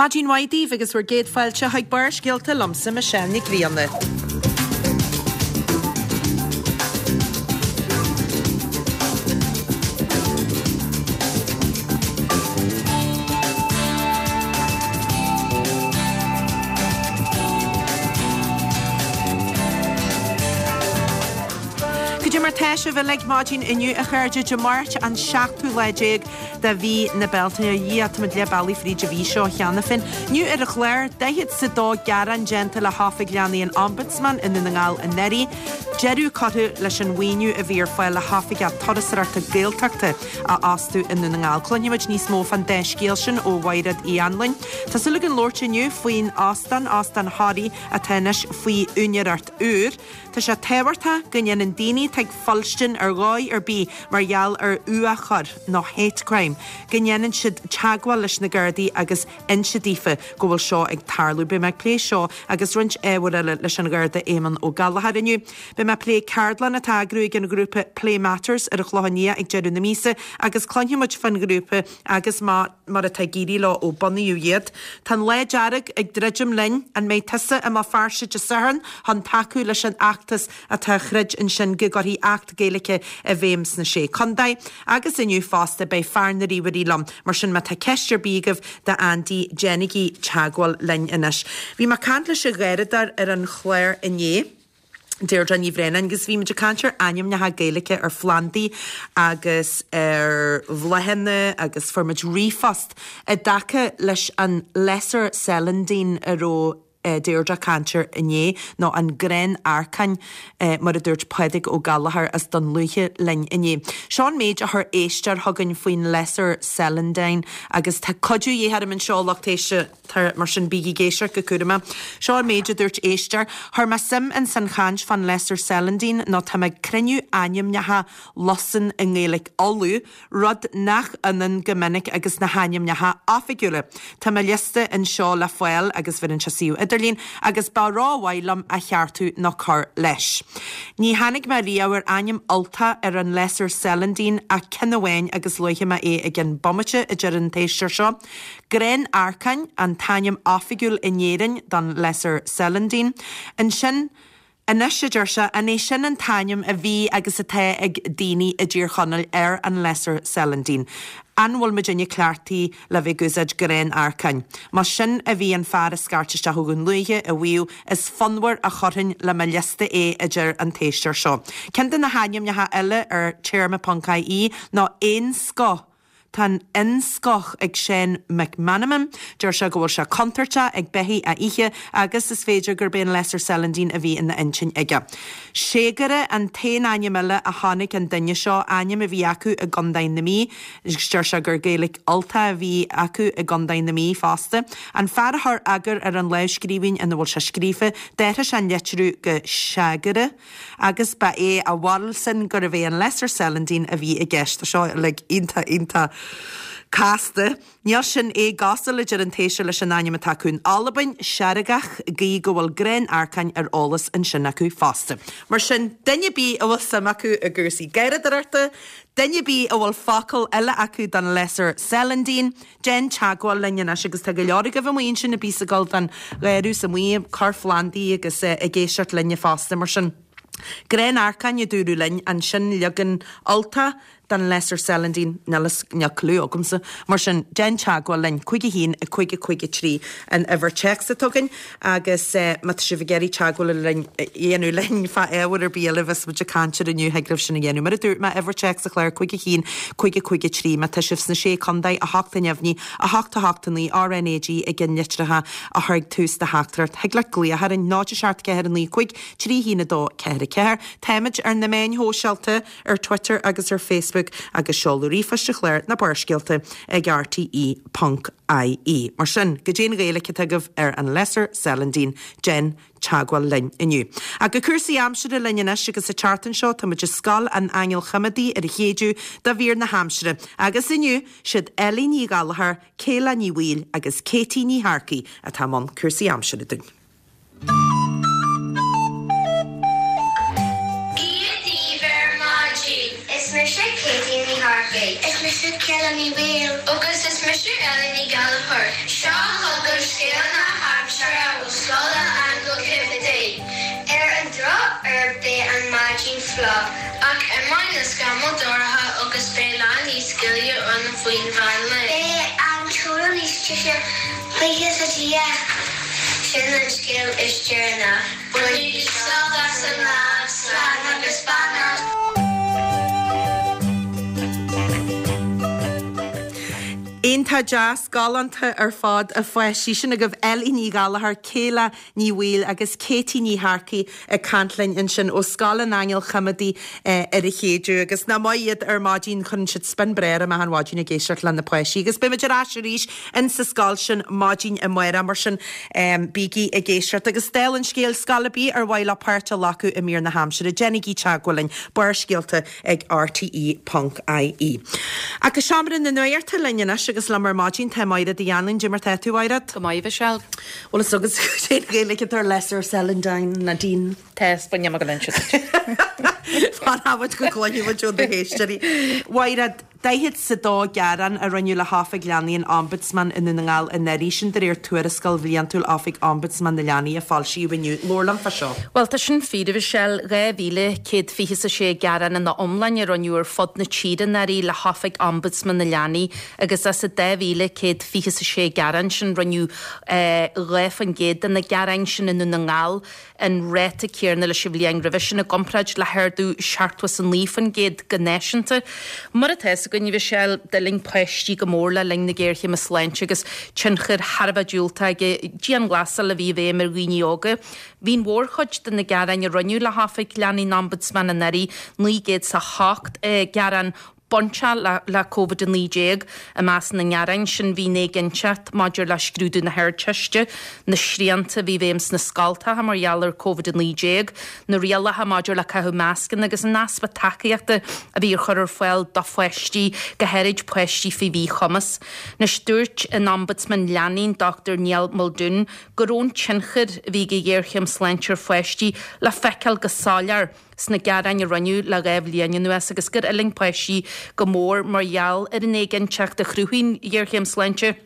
Maidin mhaith daoibh agus bhur gcéad fáilte chuig Barrscéalta liomsa Michelle Nic Grianna. Goidé mar tá sibh uilig maidin inniu a chairde, Dé Máirt an seachtú lá déag de mhí na Bealtaine. A Dhia, táimid leath bealaigh fríd an mhí seo cheana féin. Inniu ar an chlár, 42 gearán déanta le hOifig Leanaí an Ombudsman i nDún na nGall anuraidh. Deireadh curtha leis an mhaoiniú a bhí ar fáil le hoifigeach turasóireachta Gaeltachta a fhostú i nDún na nGall. Cluinfimid níos mó fán dá scéal sin ó Mhaighread Uí Anluain. Tá súil againn labhairt inniu faoin óstán, Óstán Thoraí, atá anois faoi úinéireacht úr. Tá sé tábhachtach go ndéanann daoine atá ag fuilstin ar dhóigh ar bith mar gheall ar fhuathchoir nó hate crime, go ndéanann siad teagmháil leis na Gardaí agus inse daofa go bhfuil seo ag tarlú. Beidh mé ag plé seo agus roinnt ábhar eile leis an Gharda Éamonn Ó Gallchóir inniu. Beidh mé ag plé ceardlann atá á eagrú ag an ghrúpa Plé Matters ar an Chlochán Liath ag deireadh na míosa agus cluinfidh muid fán ghrúpa agus má mar atá ag éirí leo ó bunaíodh iad. Tá an Lá Dearg ag druidim linn. An mbeidh tusa i mBéal Feirste Dé Sathairn chun tacú leis an fheachtas atá á throid ansin go gcuirfí Acht Gaeilge i bhfeidhm sna Sé Contae? Agus inniu fosta beidh fear na ríomhairí liom, mar sin má tá ceist ar bith agaibh d'Andy déanaigí teagmháil linn anois. Bhí mé ag caint leis an gharradóir ar an chlár inné. Deirdre Ní Bhraonáin agus bhí muid ag caint ar ainmneacha Gaeilge ar phlandaí agus ar bhláthanna agus fuair muid ríomhphost i dtaca leis an Lesser Celandine a raibh Deirdre ag caint air inné, nó an Grán Arcáin mar a dúirt Pádraig Ó Gallchóir as Dún Lúiche linn inné. Seo an méid a chuir éisteoir chugainn faoin Lesser Celandine agus tá cuidiú de dhíth orm anseo, lucht éisteachta. Tá, mar sin bígí ag éisteacht go cúramach. Seo an méid a dúirt éisteoir, Chuir mé suim ins an chaint fán Lesser Celandine nó tá mé ag cruinniú ainmneacha lusan i nGaeilge Uladh, rud nach ionann go minic agus na hainmneacha oifigiúla. Tá mo liosta anseo le fáil agus bheireann sé suíomh idirlín agus ba ró-mhaith liom a cheartú nó cur leis. Ní tháinig mé riamh ar ainm Ultach ar an Lesser Celandine ach ceann amháin agus luafaidh mé é i gcionn bomaite, a deir an t-éisteoir seo. Grán Arcáin an t-ainm oifigiúil in Éirinn don Lesser Celandine. Ansin, anois, a deir sé, an é sin an t-ainm a bhí agus atá ag daoine i dTír Chonaill ar an Lesser Celandine? An bhfuil muidinne cleachtaithe le bheith ag úsáid Grán Arcáin? Más sin a bhí an fear a scairt isteach ó Dhún Lúiche a mhaíomh, is fonnmhar a chuirfinn le mo liosta é, a deir an t-éisteoir seo. Ceann de na hainmneacha eile ar téarma.ie ná Éanscoth. Tá an fhinnscoth ag Seán McManamon. Deir sé go bhfuil sé contúirteach ag beithígh a ithe agus is féidir gurb é an Lesser Celandine a bhí ina intinn aige. Seagaire an t-aon ainm eile a chonaic an duine seo, ainm a bhí acu i gContae na Mí agus deir sé gur Gaeilge Ultach a bhí acu i gContae na Mí fosta. An fear a chuir eagar ar an lámhscríbhinn ina bhfuil sé scríofa, d'athraigh sé an litriú go Seagaire. Agus ba é a bharúil-san gurbh é an Lesser Celandine a bhí i gceist. Tá seo uilig iontach, iontach casta. Níl sin éagosúil, a deir an t-éisteoir, leis an ainm atá acu in Albain, Seargach, gí go bhfuil Grán Arcáin ar eolas ansin acu fosta. Mar sin, duine ar bith a bhfuil suim acu i gcúrsaí garradóireachta, duine ar bith a bhfuil focal eile acu don Lesser Celandine, Déan teagmháil linn anois agus tá go leor agaibh amuigh ansin a bíos ag dul don gharradh is amuigh ag cur phlandaí agus ag éisteacht linne fosta mar sin. Grán Arcáin a dúradh linn ansin leagan Ultach den Lesser Celandine, níl fhios, níl clue agamsa. Mar sin, déan teagmháil linn, 5 1 5 5 3 an uimhir téacs atá againn agus má tá sibh ag iarraidh teagmháil linn, a dhéanamh linn fá ábhar ar bith eile a bheas muid ag caint air inniu, thig libh sin a dhéanamh. Mar a dúirt mé, uimhir téacs an chláir 5 1 5 5 3 má tá sibh sna Sé Contae, 8 neamhní, 8 8 9 RNAG i gceannlitreacha a chur ag tús do theachtaireacht. Thig leat glaoch orainn 0 7 4 9 5 3 1 2 4 4. Táimid ar na meáin shóisialta, ar Twitter agus ar Facebook agus seoladh ríomhphoist an chláir ná Barrscéalta ag rte ponc ie. Mar sin, goidé an Ghaeilge atá agaibh ar an Lesser Celandine, déan teagmháil linn inniu. Ach go cúrsaí aimsire linn anois agus an tseachtain seo tá muid i Scoil an Aingil Choimeádaí ar an chéideadh do mhír na haimsire agus inniu siad Ellie Ní Ghallchóir, Kayla Ní Bhaoill agus Katie Ní Shearcaigh atá i mbun cúrsaí aimsire dúinn. Dia daoibh ar maidin! Is mise Katie Ní Shearcaigh. Is mise Kayla Ní Bhaoill. Agus is mise Ellie Ní Ghallchóir. Seo chugaibh. lá. Ach imeoidh na scamaill dorcha agus beidh lá níos gile ann faoin mheán lae. Beidh an torann níos deise, buíochas le Dia. Sin an scéal is deireanach. Bainigí sult as an lá, slán agus beannacht. Iontach deas, galánta ar fad a pháistí. Sin agaibh Ellie Ní Ghallchóir, Kayla Ní Bhaoill agus Katie Ní Shearcaigh ag caint linn ansin ó Scoil an Aingil Choimeádaigh ar an Chéideadh. Agus nach maith iad ar maidin, cuireann siad spion breá orm achan mhaidin ag éisteacht le na páistí. Agus beidh muid ar ais arís in sa scoil sin maidin amárach, mar sin bígí ag éisteacht. Agus dála an scéil, scoil ar bith ar mhaith leo páirt a ghlacadh i mír na haimsire, déanaigí teagmháil linn, Barrscéalta ag rte ponc ie. Ach go seomra na nuachta linn anois agus liom ar maidin tá Máire Uí Anluain. Cad é mar tá tú, Mhaighread? Go maith, a Mhichelle. Bhfuil fhios agat cén Ghaeilge atá ar Lesser Celandine, Nadine? Tá, is bainne mo go inse duit. Fanfaidh muid go gcluinfidh muid ó na héisteoirí. Mhaighread, 42 gearán a rinneadh le hOifig Leanaí an Ombudsman i Ndún na nGall anuraidh, sin de réir tuarascáil bhliantúil Oifig Ombudsman na Leanaí a foilsíodh inniu. Labhair liom fá seo. Bhuel, tá sin fíor, a Mhichelle. 2,126 gearán ina iomláine a rinneadh ar fud na tíre anuraidh le hOifig Ombudsman na Leanaí agus as an 2,126 gearán sin, rinneadh 2% de na gearáin sin i Ndún na nGall. an ráta céanna leis an bhliain roimhe sin, i gcomparáid le hardú 79% go náisiúnta. Mar atá fhios againn, a Mhichelle, d'fhulaing páistí go mór le linn na géarchéime sláinte agus tionchar thar a bheith diúltach ag an dianghlasáil a bhí i bhfeidhm ar dhaoine óga. Bhí an mhórchuid de na gearáin a rinneadh le hOifig Leanaí an Ombudsman anuraidh, 908 gearán, bainteach le Covid-19. I measc na ngearán sin bhí an éiginnteacht maidir le scrúdú na hArdteiste, na srianta a bhí i bhfeidhm sna scoltacha mar gheall ar Covid-19, na rialacha maidir le caitheamh mascanna agus an easpa tacaíochta a bhí á chur ar fáil do pháistí, go háirid páistí faoi mhíchumas. Anois, dúirt an Ombudsman Leanaí, an Dr Niall Muldoon, go raibh an tionchar a bhí ag an ghéarchéim sláinte ar pháistí le feiceáil go soiléir sna gearáin a rinneadh le 2 bhliain anuas agus gur fhulaing páistí go mór mar gheall ar an éiginnteacht a chruthaigh an ghéarchéim sláinte.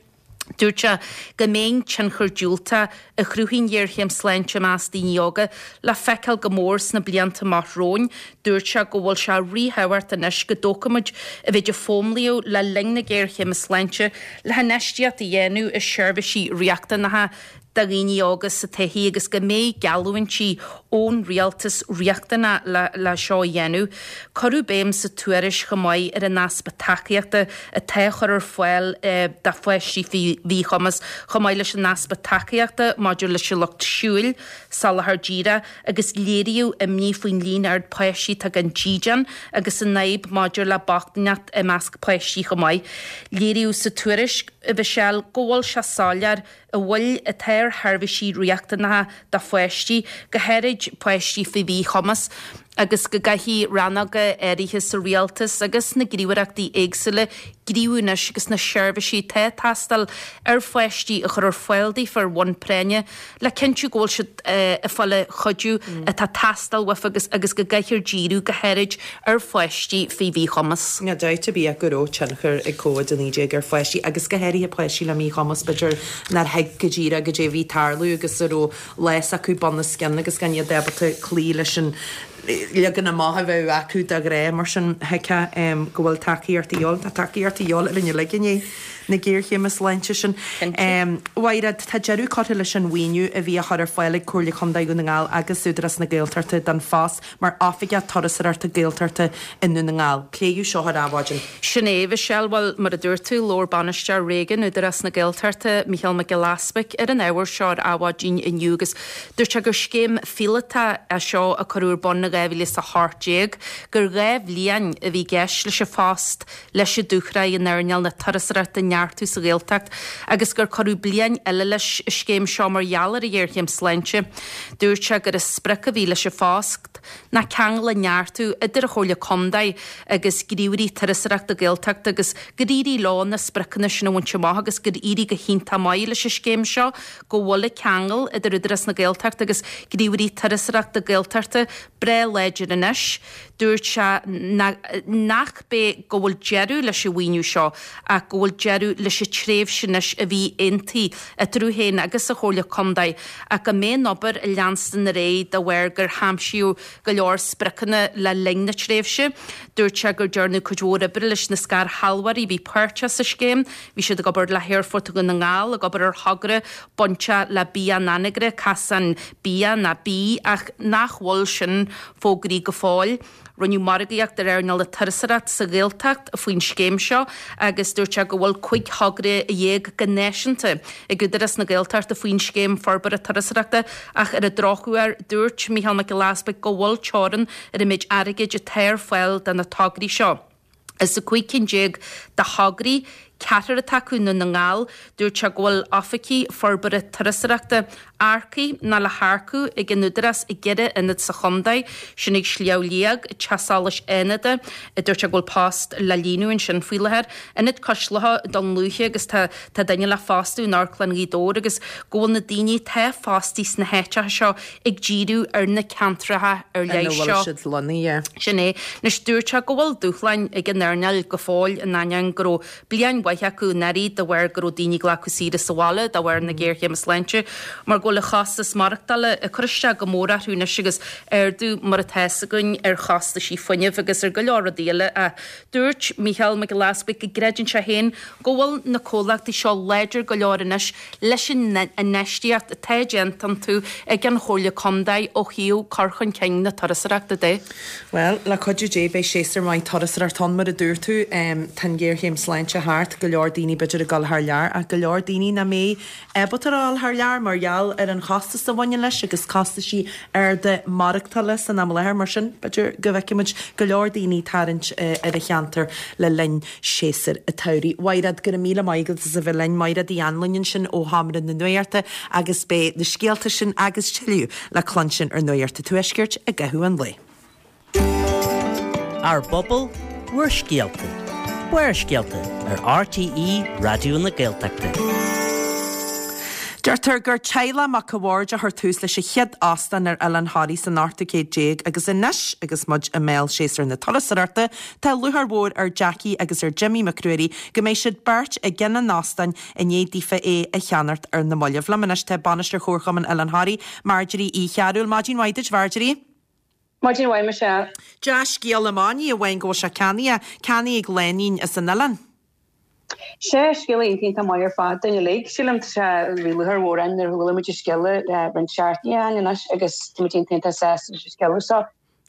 Dúirt sé go mbeidh an tionchar diúltach a chruthaigh an ghéarchéim sláinte i measc daoine óga le feiceáil go mór sna blianta amach romhainn. Dúirt sé go bhfuil sé ríthábhachtach anois go dtógfaimid an mhéid a foghlaimíodh le linn na géarchéime sláinte le hinfheistíocht a dhéanamh i seirbhísí riachtanacha do dhaoine óga sa tsochaí agus go mbeidh geallúintí ón rialtas riachtanach le seo a dhéanamh. Cuireadh béim sa tuairisc chomh maith ar an easpa tacaíochta atá á chur ar fáil do pháistí faoi mhíchumas, chomh maith leis an easpa tacaíochta maidir leis an lucht siúil, soláthar díreach, agus léiríodh imní faoin líon ard páistí atá gan dídean agus an fhadhb maidir le bochtaineacht i measc páistí chomh maith. Léiríodh sa tuairisc, a Mhichelle, go bhfuil sé soiléir an mhoill atá ar sheirbhísí riachtanacha do pháistí, go háirid páistí faoi mhíchumas, agus go gcaithfidh rannóga áirithe sa rialtas agus sna gníomhaireachtaí éagsúla gníomhú anois agus na seirbhísí atá ag teastáil ar pháistí a chur ar fáil daofa ar bhonn práinne le cinntiú go bhfuil siad ag fáil an chuidiú atá ag teastáil uafa agus agus go gcaithfear díriú go háirid ar pháistí faoi mhíchumas. Níl dabht ar bith go raibh tionchar ag Covid-19 ar pháistí agus go háirithe páistí le míchumas, b'fhéidir nár thuig go díreach goidé a bhí ag tarlú agus a raibh lá s'acu bun os cionn agus gan iad ábalta cloí leis an leagan amach a bheadh acu de ghnáth. Mar sin, thuigfeá go bhfuil tacaíocht a dhíobháil. Tá tacaíocht a dhíobháil orainn uilig i ndiaidh na géarchéime sláinte sin. Mhaighread, tá deireadh curtha leis an mhaoiniú a bhí á chur ar fáil ag Comhairle Contae Dhún na nGall agus Údarás na Gaeltachta don phost mar Oifigeach Turasóireachta Gaeltachta i nDún na nGall. Pléadh seo ar Adhmhaidin. Sin é, a Mhichelle. Bhuel, mar a dúirt tú, labhair Bainisteoir Réigiún Údarás na Gaeltachta, Mícheál Mac Giolla Easbuic, ar an ábhar seo ar Adhmhaidin inniu agus dúirt sé gur scéim phíolótach é seo a cuireadh ar bun in 2018, gur 2 bhliain a bhí i gceist leis an phost leis an dúshraith in earnáil na turasóireachta a neartú sa Ghaeltacht agus gur cuireadh bliain eile leis an scéim seo mar gheall ar an ghéarchéim sláinte. Dúirt sé gur an sprioc a bhí leis an phost ná ceangal a neartú idir an Chomhairle Contae agus gníomhairí turasóireachta Gaeltachta agus gur éirigh leo na spriocanna sin a bhaint amach agus gur éirigh go hiontach maith leis an scéim seo go bhfuil an ceangal idir Údarás na Gaeltachta agus gníomhairí turasóireachta Gaeltachta breá. Tá láidir anois. Dúirt sé nach b'é go bhfuil deireadh leis an mhaoiniú seo ach go bhfuil deireadh leis an tréimhse anois a bhí aontaithe eatarthu féin agus an Chomhairle Contae ach go mbeidh an obair ag leanstan ar aghaidh de bharr gur haimsíodh go leor spriocanna le linn na tréimhse. Dúirt sé gur dearnadh cuid mhór oibre leis na scairshealbhóirí a bhí páirteach sa scéim. Bhí siad ag obair le hAerfort Dhún na nGall, ag obair ar thogra bainteach le Bia an Anagaire, Casán Bia ná Bí ach nach bhfuil sin fógraithe go fóill. Rinneadh margaíocht ar earnáil na turasóireachta sa Ghaeltacht faoin scéim seo agus dúirt sé go bhfuil 15 thogra go náisiúnta ag Údarás na Gaeltachta faoin scéim forbartha turasóireachta ach ar an drochuair dúirt Mícheál Mac Giolla Easpaig go bhfuil teorann ar an méid airgid atá ar fáil do na tograí seo. As an 15 cinn de thograí, ceathrar atá acu i nDún na nGall. Dúirt sé go bhfuil oifigigh forbartha turasóireachta earcaithe nó le hearcú ag an Údarás i gceithre ionad sa chontae, sin ag Sliabh Liag, Teach Solais Fhánada, dúirt sé go bhfuil post le líonadh ansin faoi láthair, Ionad Cois Locha i dTonn Lúiche agus tá tá duine le fostú in Amharclann Ghaoth Dobhair agus go bhfuil na daoine atá fostaithe sna háiteacha seo ag díriú ar na ceantracha ar leith seo. Ina bhfuil siad lonnaithe. Sin é. Anois, dúirt sé go bhfuil dúshláin ag an earnáil go fóill in ainneoin go raibh bliain mhaith acu anuraidh de bharr go raibh daoine ag glacadh saoire sa bhaile de bharr na géarchéime sláinte mar go bhfuil an chostas maireachtála ag cur isteach go mór orthu anois agus ardú mar atá fhios againn ar chostaisí fuinnimh agus ar go leor rudaí eile ach dúirt Mícheál Mac Giolla Easpaig go gcreideann sé féin go bhfuil na comhlachtaí seo láidir go leor anois leis an infheistíocht atá déanta iontu ag an Chomhairle Contae ó thaobh cur chun cinn na turasóireachta de. Bhuel, le cuidiú Dé beidh séasúr maith turasóireachta ann mar a dúirt tú. Tá an ghéarchéim sláinte thart, go leor daoine b'fhéidir ag dul thar lear ach go leor daoine nach mbeidh ábalta a dhul thar lear mar gheall ar an chostas a bhaineann leis agus costaisí arda maireachtála san am i láthair. Mar sin, b'fhéidir go bhfeicfidh muid go leor daoine ag tarraingt ar an cheantar le linn séasúr an tsamhraidh. Mhaighread, go raibh míle maith agat as a bheith linn. Maighread Uí Anluain ansin ó Sheomra na Nuachta agus beidh na scéalta sin agus tuilleadh le cluinstin ar Nuacht an Tuaiscirt i gcaitheamh an lae. Ár bpobal, bhur scéalta. Barrscéalta ar RTÉ Raidió na Gaeltachta. Deirtear gur teaghlach Mac a' Bhaird a chuir tús leis an chéad óstán ar Oileán Thoraí san ochtú céad déag agus anois agus muid i mbéal séasúr na turasóireachta Tá lúcháir mhór ar Jackie agus ar Jimmy Mac Ruairí go mbeidh siad beirt i gceann an óstáin i ndiaidh daofa é a cheannacht ar na mallaibh. Liom anois tá Bainisteoir Chomharchumann Oileán Thoraí, Marjorie Uí Chearúil. Maidin mhaith duit, Mharjorie. Maidin mhaith, Michelle. Dea-scéal amach, ní amháin go bhfuil sé ceannaithe, ceannaithe ag lánúin as an oileán. Sea, scéal iontach iontach maith ar fad dúinn uilig. Sílim tá sé, bhí lúcháir mhór orainn nuair a chuala muid an scéal roinnt seachtainí ó shin anois agus tá muid iontach iontach sásta leis an scéal so.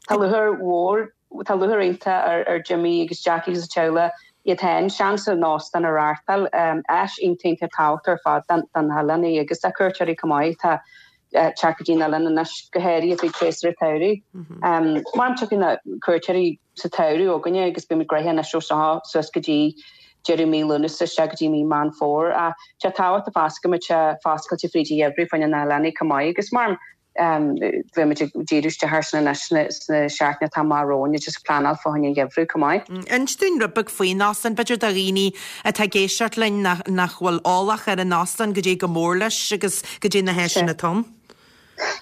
Tá lúcháir mhór, tá lúcháir iontach ar ar Jimmy agus Jackie agus a teaghlach iad féin seans an óstán a reáchtáil. Áis iontach iontach tábhachtach ar fad don don oileán í agus do cuairteoirí chomh maith atá ag teacht go dtí an oileán anois go háirithe faoi tséasúr an tsamhraidh. Mar tiocfaidh na cuairteoirí sa tsamhradh chugainne agus beimid gnoitheach anois ó seo suas go dtí deireadh mí Lúnasa isteach go dtí mí Meán Fómhair. Ach tá sé tábhachtach fosta go mbeidh sé foscailte fríd an gheimhreadh fá choinne na hoileánaigh chomh maith agus mar Beimid ag díriú isteach air sin anois sna seachtainí atá amach romhainn agus ag pleanáil fá choinne an gheimhridh chomh maith. Inis dúinn rud beag faoin óstán, b'fhéidir do dhaoine atá ag éisteacht linn nach bhfuil eolach ar an óstán, goidé chomh mór leis agus goidé na háiseanna atá ann.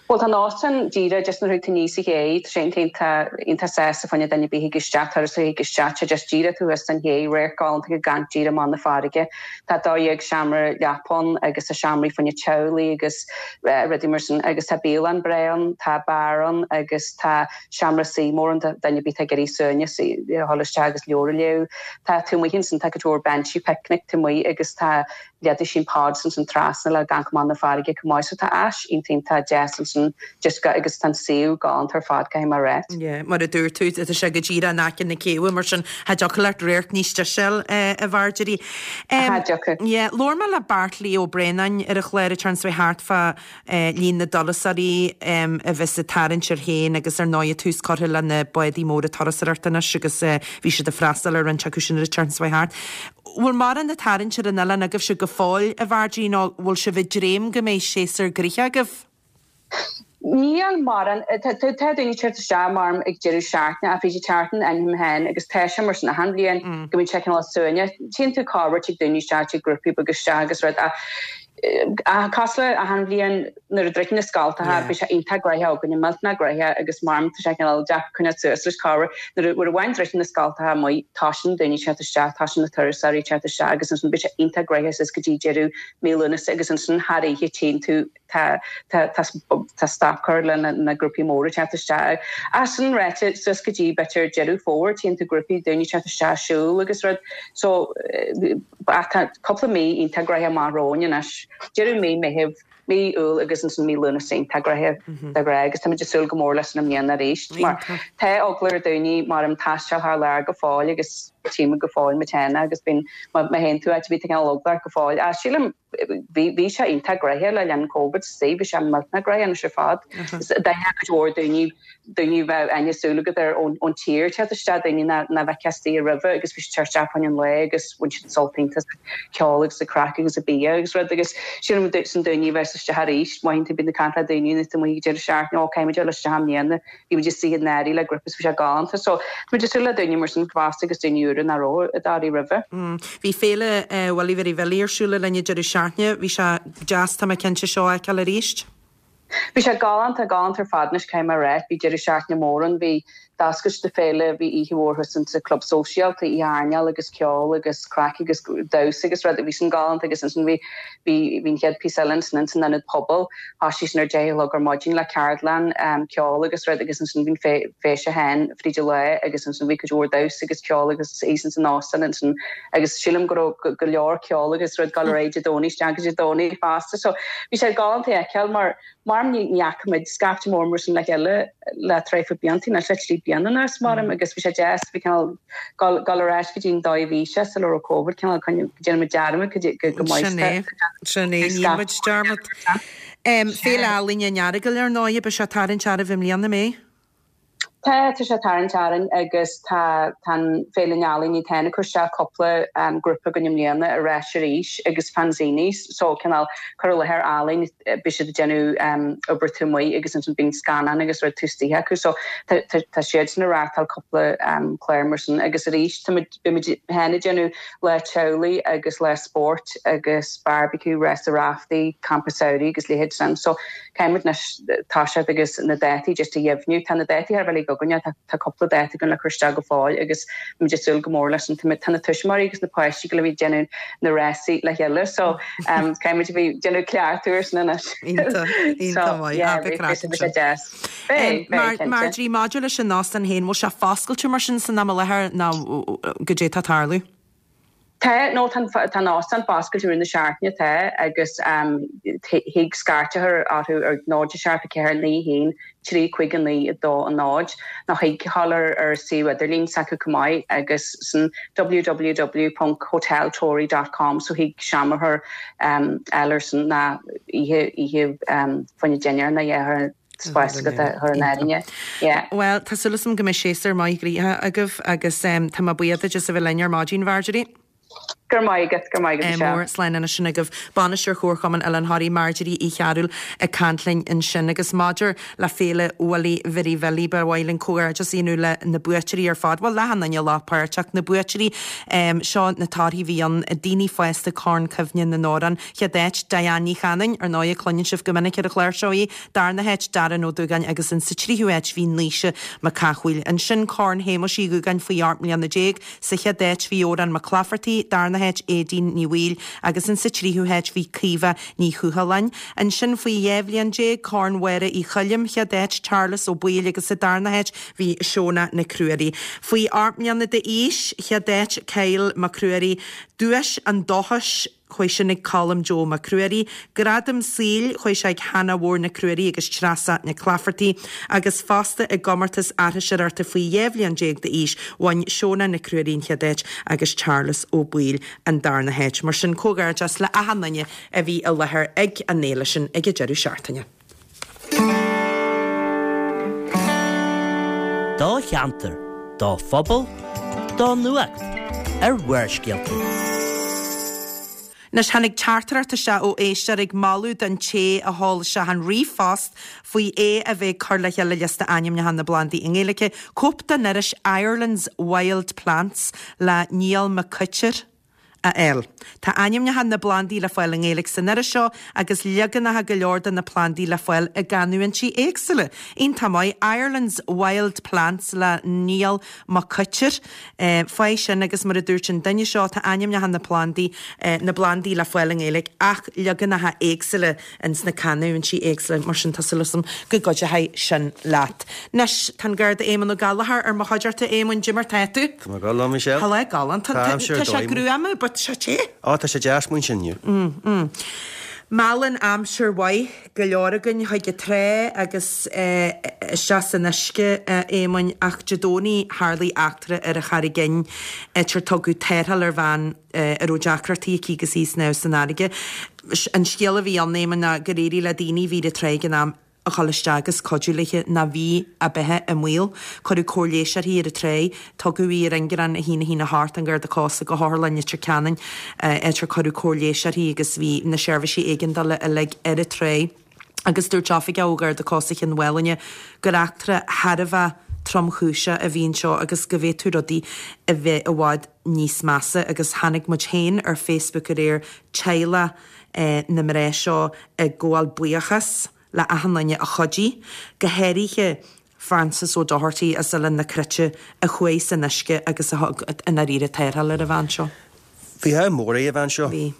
Bhuel tá an óstán díreach just nuair a thig tú aníos an ché, tá sé iontach iontach sásta fá choinne duine ar bith a thig isteach, turasóir a thig isteach, tá just díreach taobh thuas den ché, radharc galánta ag amharc díreach amach na farraige. Tá 12 seomra leapa ann agus tá seomraí fá choinne teaghlaigh agus rudaí mar sin agus tá bialann breá ann, tá beár ann agus tá seomra suí mór ann do dhuine ar bith atá ag iarraidh suaimhneas a dhul isteach agus leabhar a léamh. Tá taobh amuigh ansin, tá cuid mhór beinsí picnic taobh amuigh agus tá leithéidí pods ansin trasna le amharc amach na farraige chomh maith. So tá áis iontach iontach deas ansin just go agus tá an suíomh galánta ar fad caithfidh mé a ráit. Yeah, mar a dúirt tú, tá sé go díreach in aice na céibhe mar sin cha dtiocfadh leat radharc níos deise a fháil, a Mharjorie. Cha dtiocfadh. Yeah, labhair mé le Beairtlí Ó Braonáin ar an chlár an tseachtain seo thart fá líon na dturasóirí a bheas ag tarraingt air féin agus ar ndóigh tús curtha le na bádaí móra turasóireachta anois agus bhí siad ag freastal ar roinnt acu sin ar an tseachtain seo thart. Bhfuil mórán ag tarraingt ar an oileán agaibhse go fóill, a Mharjorie, nó bhfuil sibh ag dréim go mbeidh séasúr gnoitheach agaibh? Níl mórán. Tá daoine ag teacht isteach mar ag deireadh seachtaine, ach fríd an tseachtain aithním féin agus tá sé mar sin achan bhliain go mbíonn sé cineál suaimhneach. Tchíonn tú corruair tig daoine isteach, tig grúpaí beaga isteach agus rud ach. Cosúil le achan bhliain nuair a druideann na scoltacha bíonn sé iontach gnoitheach againne, millteanach gnoitheach agus maram tá sé cineál deacair coinneáil suas leis corruair. Nuair a bhain druideann na scoltacha amuigh toisíonn daoine ag teacht isteach, toisíonn na turasóirí ag teacht isteach agus ansin bíonn sé iontach gnoitheach suas go dtí deireadh mí Lúnasa agus ansin thar oíche tchíonn tú tá tá tá stop curtha le na grúpaí móra ag teacht isteach. Ach sin ráite, suas go dtí b'fhéidir Deireadh Fómhair tchíonn tú grúpaí daoine ag teacht isteach ag siúl agus rud. So ach tá cúpla mí iontach gnoitheach amach romhainn anois. Deireadh mí Meitheamh, mí Iúil agus ansin mí Lúnasa iontach gnoitheach de ghnáth agus táimid ag súil go mór leis sin i mbliana arís mar tá eagla ar daoine maram taisteal thar lear go fóill agus tchímid go fóill muid féin agus bíonn má théann tú áit ar bith tá cineál eagla ort go fóill. Ach sílim Bhí, bhí sé iontach gnoitheach le linn Covid istigh, bhí sé millteanach gnoitheach anois ar fad. D'aithneodh cuid mhór daoine, daoine a bheadh aithne súil agat ar ón, ón tír teacht isteach, daoine nach, nach bhfeicfeá istigh roimhe agus bhí siad teacht isteach fá choinne an lae agus bhain siad sult iontach as an ceol agus an craic agus an bia agus rud agus sílim sin daoine a bheas isteach arís, mothaíonn tú, bíonn tú ag caint le daoine nuair atá amuigh ag deireadh seachtaine, ó caithfidh muid dul isteach i mbliana. Bhí muid istigh i nDoirí le grúpa is bhí sé galánta. So, tá muid ag súil le daoine mar sin fosta agus daoine úra nach raibh i dToraí roimhe. Bhí Féile Willie Mhary Bhilly ar siúl le linn an deireadh seachtaine. Bhí sé deas, tá mé cinnte, seo a fheiceáil arís. Bhí sé galánta, galánta ar fad anois, caithfidh mé a rá. Bhí deireadh seachtaine mór ann. Bhí d'oscailt na féile, bhí oíche mhór thuas insa Club Sóisialta, oíche airneáil agus ceol agus craic agus damhsa agus rud, bhí sin galánta agus ansin bhí, bhí, bhí an chéad píosa eile ansin insan Ionad Pobail. Thoisigh sin ar deich a chlog ar maidin le ceardlann ceoil agus rud agus ansin bhí an feis féin fríd an lá agus ansin bhí cuid mhór damhsa agus ceol agus thíos ins an óstán ansin agus sílim go raibh go leor ceol agus rud ag dul ar aghaidh Dé Domhnaigh isteach go Dé Domhnaigh fosta so bhí sé galánta a fheiceáil mar mar ní fhaca muid scaifte mór mar sin le chéile le traochadh blianta anois le trí bliana anuas maram agus bhí sé deas bhí cineál Gabháil ar ais go dtí an dóigh a bhí sé sula raibh Covid, cineál go ndéanann muid dearmad go maith. Sin é, sin é, ní muid dearmad. Féile Ealaíne an Earagail ar ndóigh, beidh sé ag tarraingt oraibh i mbliana, an mbeidh? Tá, tá sé ag tarraingt orainn agus tá tá an Féile na nEalaíon iad féin ag cur isteach cúpla grúpa againn i mbliana ar ais arís agus fanzines, so cineál cur i láthair ealaín, beidh siad ag déanamh obair taobh amuigh agus ansin bíonn scannán agus rud taobh istigh acu so tá siadsan ag reáchtáil cúpla clár mar sin agus arís táimid beimid féin ag déanamh lá teaghlaigh agus lá spóirt agus barbecue, rása raftaí, campa samhraidh agus leithéid sin so caithfimid anois toiseacht agus na dátaí just a dheimhniú. Tá na dátaí thar a bheith uilig againne, tá cúpla dáta againn le cur isteach go fóill agus táimid ag súil go mór leis sin. Tá na tuismitheoirí agus na páistí go bheith ag déanamh na rásaí le chéile so caithfimid a bheith ag déanamh cleachtadh ar sin anois. Iontach, iontach maith. Yeah, beidh sé deas. Beidh, beidh, cinnte. Marjorie, maidir leis an óstán féin, bhfuil sé foscailte mar sin san am i láthair nó goidé atá ag tarlú? Tá, nó tá an óstán foscailte i rith na seachtaine, tá, agus thig scairt a chur orthu ar 0 7 4 9 1 3 5 9 2 0 nó thig a ghabháil ar ar suíomh idirlín s'acu chomh maith agus sin www.hoteltory dot com so thig seomra a chur fháil ar sin ná oíche oíche fá choinne dinnéar nó a chur spás agat a chur in áirithe. Yeah. Bhuel, tá súil agam go mbeidh séasúr maith gnoitheach agaibh agus tá mé buíoch duit as a bheith linn ar maidin, Mharjorie. Go raibh maith agat, go raibh maith agat, Michelle. Mór, slán anois sin agaibh. Bainisteoir Chomharchumann Oileán Thoraí, Marjorie Uí Chearúil ag caint linn ansin. Agus maidir le Féile Willie Mhary Bhilly, ba mhaith linn comhghairdeas a dhéanamh le na buaiteoirí ar fad, bhuel, le achan duine a ghlac páirt ach na buaiteoirí, seo na torthaí a bhí ann, daoine fásta Corn Cuimhne na nAmhrán, Chéad áit, Diane Ní Chanainn, ar ndóigh, cluineann sibh go minic ar an chlár seo í, Darna háit, Darren Ó Dúgáin agus in sa tríú háit bhí Naoise Mac Cathmhaoil. Ansin Corn Shéamuis Uí Dhúgáin faoi 18 mbliana. Sa chéad áit bhí Odhrán Mac Laifeartaigh, darna háit Aedín Ní Bhaoill agus in sa tríú háit bhí Caoimhe Ní Thuathaláin. Ansin faoi 12 bhliain, Corn Mháire Uí Choilm, chéad áit Charles Ó Baoill agus sa darna háit bhí Shona Nic Ruairí. Faoi 8 mbliana d'aois, chéad áit Kyle Mac Ruairí, Duais an Dóchais, Chuaigh sin ag Colm Joe Mac Ruairí, Gradam Saoil, chuaigh sé ag Hannah Mhór Nic Ruairí agus Treasa Nic Laifeartaigh, agus fosta i gcomórtas aithriseoireachta faoi 12 bhliain d'aois, bhain Shona Nic Ruairí an chéad áit agus Charles Ó Baoill an darna háit. Mar sin, comhghairdeas le achan duine a bhí i láthair ag an fhéile sin ag an deireadh seachtaine. Do cheantar, do phobal, do nuacht ar Bharrscéalta. Anois, tháinig teachtaireacht isteach ó éisteoir ag moladh don té a sheol isteach an ríomhphost faoi é a bheith ag cur le chéile liosta ainmneacha na bplandaí i nGaeilge, cóip den iris Ireland's Wild Plants le Niall Mac Coitir. A fháil. Tá ainmneacha na bplandaí le fáil i nGaeilge san iris seo agus leaganacha go leor de na plandaí le fáil i gcanúintí éagsúla. Iontach maith. Ireland's Wild Plants le Niall Mac Coitir. Faigh sin agus mar a dúirt an duine seo tá ainmneacha na plandaí, na bplandaí le fáil i nGaeilge ach leaganacha éagsúla ins na canúintí éagsúla, mar sin tá súil agam go gcuideoidh sin leat. Anois, tá an Garda Éamonn Ó Gallchóir ar mo chuideachta. Éamonn, goidé mar tá tú? Tá mé go maith, Michelle. Tá lá galánta. Tá aimsir Tá sé gruama, but tá sé te. Ó, tá sé deas amuigh ansin inniu. Mm, mm. Meallann aimsir mhaith go leor againn chuig an trá agus isteach san uisce, a Éamoinn, ach Dé Domhnaigh tharlaigh eachtra ar an Charraig Fhinn, áit ar tugadh tarrtháil ar bhean a raibh deacrachtaí aici agus í ag snámh san fharraige. An scéal a bhí ann, Éamonn, ná gur éirigh le daoine a bhí ar an trá ag an am a dhul isteach agus cuidiú léi nó bhí a beatha i mbaol. Cuireadh cóir leighis uirthi ar an trá. Tugadh í ar ingearán 1 1 8 an Gharda Cósta go hOtharlann Leitir Ceanainn, áit ar cuireadh cóir leighis uirthi agus bhí na seirbhísí éigeandála uilig ar an trá. Agus dúirt oifigeach ó Gharda Cósta Chionn Mhálanna gur eachtra thar a bheith tromchúiseach a bhí anseo agus go bhféadfadh rudaí a bheith i bhfad níos measa agus chonaic muid féin ar Facebook aréir teaghlach na mná seo ag gabháil buíochas le achan duine a chuidigh, go háirithe Francis O'Doherty as Oileán na Cruite a chuaigh san uisce agus a thug i ndáiríre tarrtháil ar an bhean seo. Bhí ádh mór ag an bhean seo. Bhí.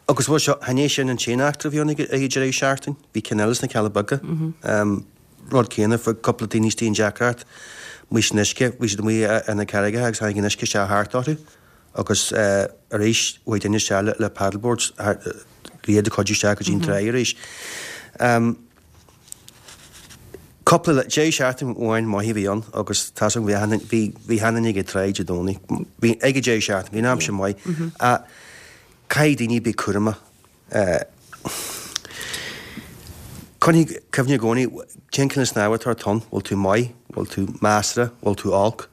Agus bhuel seo, chan é sin an t-aon eachtra a bhí ann ag an deireadh seachtaine. Bhí ceann eile sna Cealla Beaga. Rud céanna, fuair cúpla daoine istigh i ndeacracht amuigh san uisce. Bhí siad amuigh ar na carraigeacha agus tháinig an uisce isteach thart orthu. Agus arís, chuaigh duine isteach le paddleboards iad a chuidiú isteach go dtí an trá arís. Cúpla deireadh seachtaine amháin maith a bhí ann agus tá 's agam bhí bhí achan duine ag an trá Dé Domhnaigh. Bhí ag an deireadh seachtaine, bhí an aimsir maith. Ach caithfidh daoine bheith cúramach. Coinnigh cuimhne i gcónaí, cén cineál snámha atá ort ann, bhfuil tú maith, bhfuil tú measartha, bhfuil tú olc.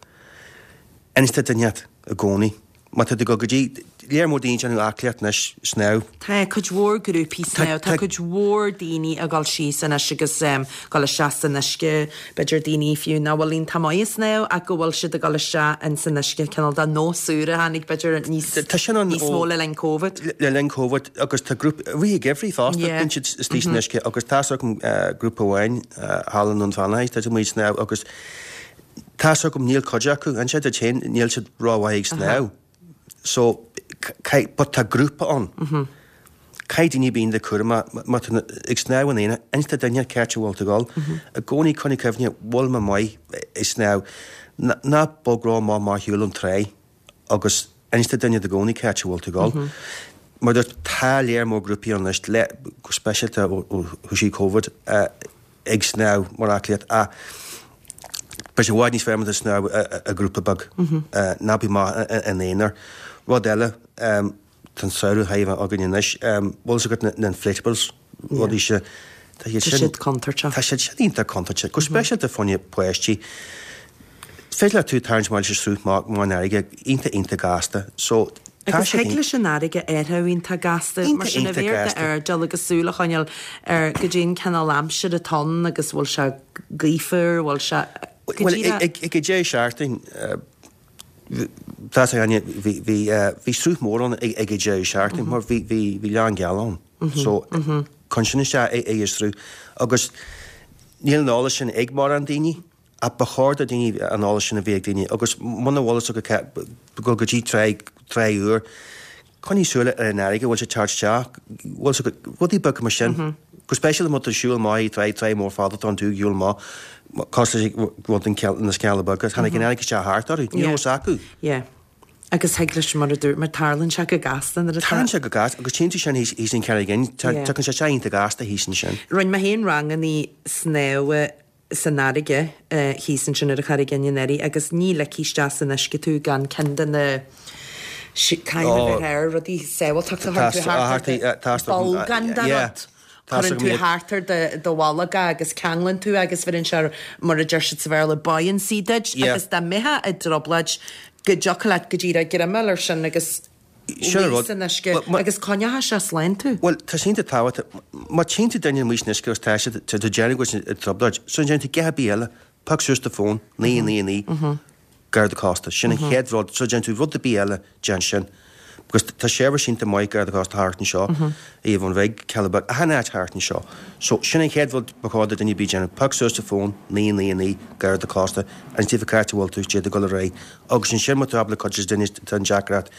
Inis do dhuine inteacht i gcónaí. Má tá tú ag dul go dtí, léar mór daoine ag déanamh aclaíocht anois, snámh. Tá cuid mhór grúpaí snámh, tá cuid mhór daoine ag dul síos anois agus ag dul isteach san uisce, b'fhéidir daoine fiú nach bhfuil iontach maith ag snámh ach go bhfuil siad ag dul isteach ins an uisce, cineál de nós úr a tháinig b'fhéidir níos Tá sin ann níos mó le linn Covid. Le linn Covid agus tá grúpa, i rith an gheimhridh fosta, bíonn siad istigh san uisce agus tá's agam grúpa amháin thall i nDún Fionnachaidh, tá siad amuigh ag snámh agus Tá's agam, níl cuid acu, inse duit féin, níl siad rómhaith ag snámh. So, caith, but tá grúpa ann. Caithfidh daoine bheith iontach cúramach, má tá tú ag snámh in aonar, inis do dhuine cá háit a bhfuil tú ag dul. I gcónaí coinnigh cuimhne, bhfuil mé maith ag snámh. Ná bog rómhaith mar shiúl an trá agus inis do dhuine i gcónaí cá háit a bhfuil tú ag dul. Mar dúirt, tá léar mór grúpaí ann anois, le, go speisialta ó thosaigh Covid, ag snámh mar aclaíocht ach beidh sé i bhfad níos fearr má tá tú ag snámh i ngrúpa beag. Ná bí amach in aonar. Rud eile, tá an samhradh chun a bheith againn anois, bhfuil fhios agat na inflatables, rudaí seo, tá siad sin, tá siad contúirteach. Tá siad sin iontach contúirteach, go speisialta fá choinne páistí. Féidir leat tú tarraingt amach leis an sruth amach an fharraige iontach iontach gasta. So, tá Agus thig leis an fharraige athrú iontach gasta, mar sin a bheith ar d'airdeall agus súil a choinneáil ar goidé an cineál aimsire atá ann agus bhfuil sé gaofar, bhfuil sé go Bhuel, díreach. ag ag an deireadh seachtaine, tá a fhios againne, bhí bhí bhí sruth mór ann ag ag an deireadh seachtaine mar bhí bhí bhí lán geal ann. So, cuireann sin isteach ag an sruth agus níl an eolas sin ag mórán daoine. Ach ba chóir do dhaoine an eolas sin a bheith ag daoine agus muna bhfuil fhios agat dul go dtí trá, trá úr, coinnigh súil ar an fharraige, bhfuil sé ag teacht isteach, bhfuil fhios agat, rudaí beaga mar sin. Go speisialta má tá tú ag siúl amach ag trá, trá mór fada tá tú ag siúl amach, cosúil leis rud an na Cealla Beaga, tháinig an fharraige isteach thart orthu, ní raibh fhios acu. Yeah. Agus thig leis, mar a dúirt mé, tarlaíonn sé go gasta nuair atá. Tarlaíonn sé go gasta agus tchíonn tú sin thíos thíos in Carraig Fhinn, tagann sé isteach iontach gasta thíos ansin. Rinne mé féin rangannaí snámha san fharraige thíos ansin ar an Charraig Fhinn anuraidh agus ní ligfí isteach san uisce tú gan ceann de na caithfidh mé bheith ar rudaí sábháilteachta a chuireann tú thart ar do bolgán de rud. Cuireann tú thart ar do bholg é agus ceanglann tú é agus bheireann sé mar a deir siad sa Bhéarla buoyancy duit agus dá mbeifeá i dtrioblóid go dtiocfadh leat go díreach greim a fháil air sin agus Sin an rud. san uisce agus coinneoidh sé slán tú. Bhuel, tá sé iontach tábhachtach. Má tchíonn tú duine amuigh san uisce agus tá siad, tá tú ag déanamh go bhfuil siad i dtrioblóid, sula ndéanann tú a dhath ar bith eile, pioc suas do fón, 999, Garda Cósta. Sin an chéad rud, sula ndéanann tú rud ar bith eile, déan sin. Because tá seirbhís iontach maith Garda Cósta thart anseo, Aoibh Bhig, Cealla Beag, achan áit thart anseo. So sin an chéad rud ba chóir do duine ar bith déanamh, pioc suas do fón, 9 9 9, Garda Cósta, inis daofa cá háit a bhfuil tú, d'fhéadfá dul ar aghaidh. Agus ansin má tá tú ábalta cuidiú le duine atá i ndeacracht,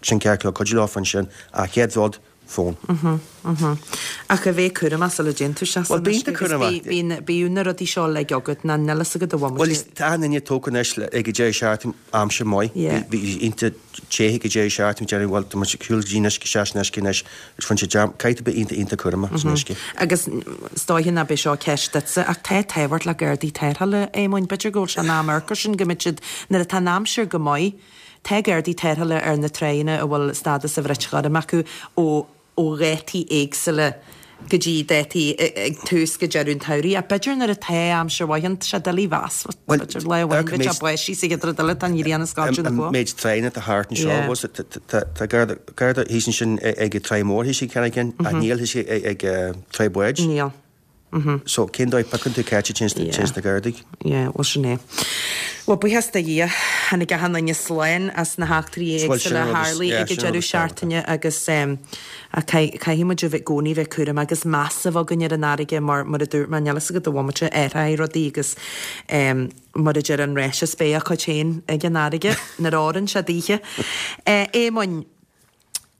sin ceart go leor, cuidiú leofa ansin. Ach chéad rud, fón. Ach a bheith cúramach sula dtéann tú isteach san uisce agus bíonn, bíodh na rudaí seo uilig agat ná níl fhios agat a bhfuil Bhuel tá achan duine tógtha anois ag an deireadh seachtaine aimsir maith. Bhí iontach te ag an deireadh seachtaine déarfainn bhuel tá muid ag siúl go dtí an uisce isteach san uisce anois agus bhain sé dearmad caithfidh tú bheith iontach iontach cúramach san uisce. Agus is dóiche ná beidh seo ceist duitse ach tá tábhacht le Gardaí Tarrthála, a Éamoinn, b'fhéidir go bhfuil sé in am amharc air sin go mbeidh siad nuair atá an aimsir go maith Tá Gardaí Tarrthála ar na tráigheanna a bhfuil stádas an bhrait ghoirm acu ó ó dhátaí éagsúla go dtí dátaí ag tús go deireadh an tsamhraidh. Ach b'fhéidir nuair atá aimsir mhaith ann, tá sé doiligh a mheas. B'fhéidir lá amháin bheadh sé báistí sa chéad rud eile tá an ghrian ag scoilteadh na gcloch. An méid tráigheanna atá thart anseo, bhfuil fhios agat, tá Garda Garda thíos ansin ag an Tráigh Mhór thíos ag Carraig Fhinn ach níl thíos ag Tráigh Báid. Níl. So, cén dóigh piocann tú cá háit a dtéanns na Gardaí? Yeah, bhuel sin é. Bhuel, buíochas do Dhia, tháinig achan duine slán as na heachtraí éagsúla a tharlaigh ag an deireadh seachtaine agus caithfidh muid a bheith i gcónaí bheith cúramach agus meas a bheith againn ar an fharraige mar, mar a dúirt mé, níl fhios agat a bhomaite athróidh rudaí agus mar a deir an ráiteas, beidh a cuid féin ag an fharraige nuair a oireann sé daoithe. Éamoinn.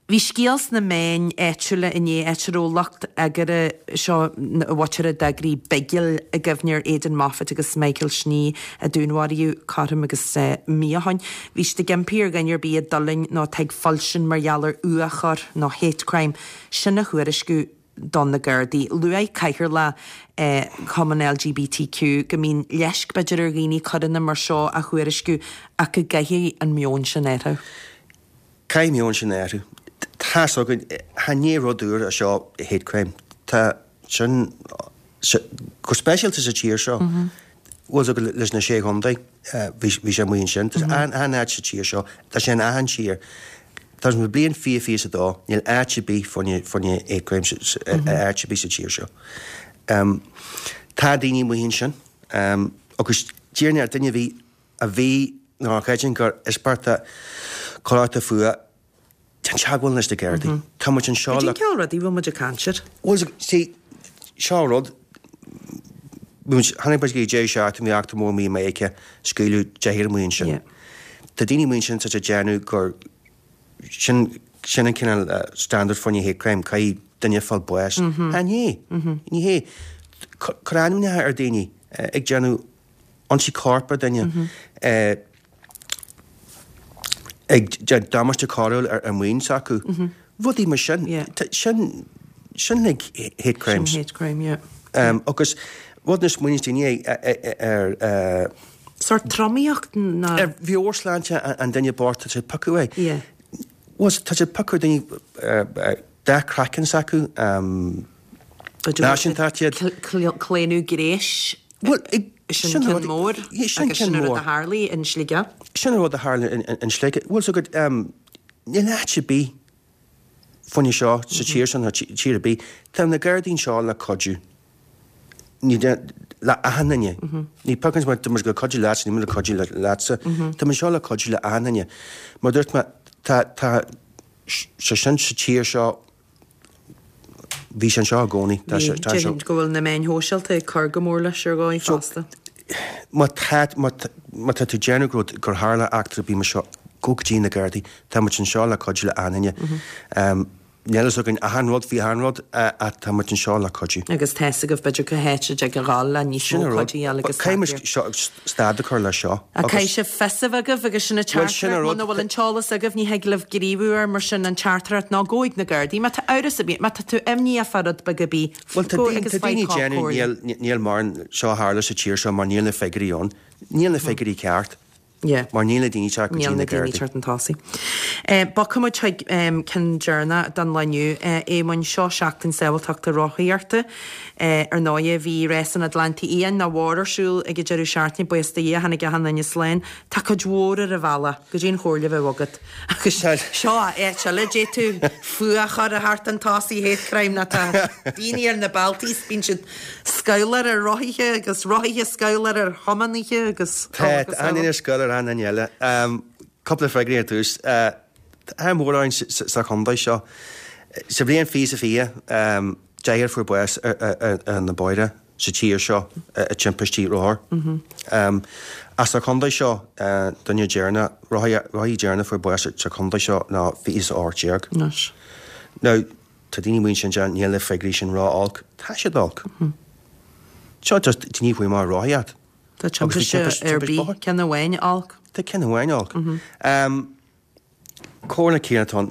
Bhí scéal sna meáin áitiúla inné, áit a raibh lucht eagraithe seo na mhuintire a d'eagraigh bigil i gcuimhne ar Aidan Moffitt agus Michael Snee a dúnmharaíodh cothrom agus mí ó shoin. Bhí siad ag impí ar dhuine ar bith a d'fhulaing nó atá ag fuilsint mar gheall ar fhuathchoir nó hate crime sin a thuairisciú do na Gardaí. Luaigh Cathaoirleach Chumann LGBTQ go mbíonn leisc b'fhéidir ar dhaoine coireanna mar seo a thuairisciú ach go gcaithfidh an meon sin athrú. Caithfidh an meon sin athrú. Tá's againn, cha ní rud úr é seo hate crime. Tá sin, go speisialta sa tír seo, bhfuil fhios agat leis na Sé Chontae, bhí bhí sé amuigh ansin. Tá achan áit sa tír seo, tá sé in achan tír. Tá sa bhliain 2022, níl áit ar bith fá choinne fá choinne hate crime áit ar bith sa tír seo. Tá daoine amuigh ansin agus déarfainn ar duine a bhí a bhí nó a chreideann gur íospartach coireachta fuath, déan teagmháil leis na Gardaí. Tá muid anseo le. Cad é an cineál rudaí a bhfuil muid ag caint air? Bhuel, see, seo an rud. Bhí muid, tháinig muid go dtí deireadh seachtaine, bhí eachtra mór amuigh i Meiriceá, scaoileadh deichniúr amuigh ansin. Tá daoine amuigh ansin atá ag déanamh gur sin, sin an cineál standard fá choinne hate crime, caithfidh duine fáil bás. Chan hé. Ní hé. Cur ainmneacha ar daoine ag déanamh ionsaí coirp ar duine, ag déanamh damáiste coiriúil ar maoin s'acu, rudaí mar sin. Sin, sin like hate crimes. Sin hate crime, yeah. Agus rud nach smaoiníonns daoine ar. Sórt tromaíocht ná. Ar mheabhairshláinte an duine bocht tá siad ag piocadh air. Yeah. Bhuel, tá siad ag piocadh ar daoine dath craicinn s'acu, náisiúntacht iad. Claonadh gnéis. Bhuel, sin ceann mór agus sin an rud a tharlaigh in Sligeach. Sin an rud a tharla in Sligeach. Bhuel, so go, níl áit ar bith fá choinne seo sa tír seo nó tír ar bith. Tá na Gardaí anseo le cuidiú. Ní le achan duine. Ní piocann muid, tá muid le cuidiú leatsa, níl muid le cuidiú leatsa. Tá muid anseo le cuidiú le achan duine. Mar dúirt mé, tá, tá sé sin sa tír seo Bhí sé anseo i gcónaí. Tá sé, tá sé. Déarfainn go bhfuil na meáin shóisialta ag cur go mór leis ar dhóigh fosta. Má tá, má má tá tú ag déanamh go raibh, gur tharla eachtra ar bith mar seo, gabh go dtí na Gardaí. Tá muid anseo le cuidiú le achan duine. Níl fhios againn achan rud faoi achan rud ach tá muid anseo le cuidiú. Agus tá fhios agaibh b'fhéidir cá háit a dtig a dhul le níos mó cuidiú a fháil agus Caithfidh muid seo, stad a chur leis seo. Ach caithfidh sibh fios a bheith agaibh agus sin an teachtaireacht, muna bhfuil an t-eolas agaibh ní thig libh gníomhú air mar sin an teachtaireacht ná gabh chuig na Gardaí. Má tá amhras ar bith, má tá tú imníoch fá rud beag ar bith, Bhuel tá gabh agus daoine faigh ag déanamh comhairle. níl mar seo a tharla sa tír seo mar níl na figiúirí ann. Níl na figiúirí ceart. Yeah. Mar níl na daoine teacht go Níl dtí na na daoine Gardaí. teacht chun tosaigh. Bogfaidh muid chuig ceann deireanach don lá inniu. Éamoinn, seo Seachtain Sábháilteachta Rothaíochta. Ar ndóighe, bhí Rás an Atlantaigh Fhiáin nach mhair ar siúl ag an deireadh seachtaine, buíochas do Dhia, tháinig achan duine slán. Tá cuid mhór ar an bhealach go dtí an chomhairle a bheadh agat. Agus seo áit eile a d'fhéadfadh fuath a chur thart an tosaigh, hate crime, ná tá daoine ar na bealtaí is bíonn siad Scabhláil ar rothaithe agus rothaithe scabhláil ar thiománaithe agus Tá, agus tá an duine scabhláil ar an duine eile. Cúpla freagraí ar dtús. Tá ádh mór orainn sa chontae seo. Sa bhliain 2020, deichniúr fuair bás ar na bóithre sa tír seo i dtimpistí rothar. Ach sa chontae seo, duine deireanach, rothaí deireanach fuair bás sa chontae seo ná 2018. Anois. Now, tá daoine amuigh ansin deir níl na figiúirí sin ró-olc. Tá siad olc. Seo just daoine faoi mar rothaíocht. Tá timpiste ar bith, ceann amháin olc. Tá ceann amháin olc. Comhairle céanna atá ann.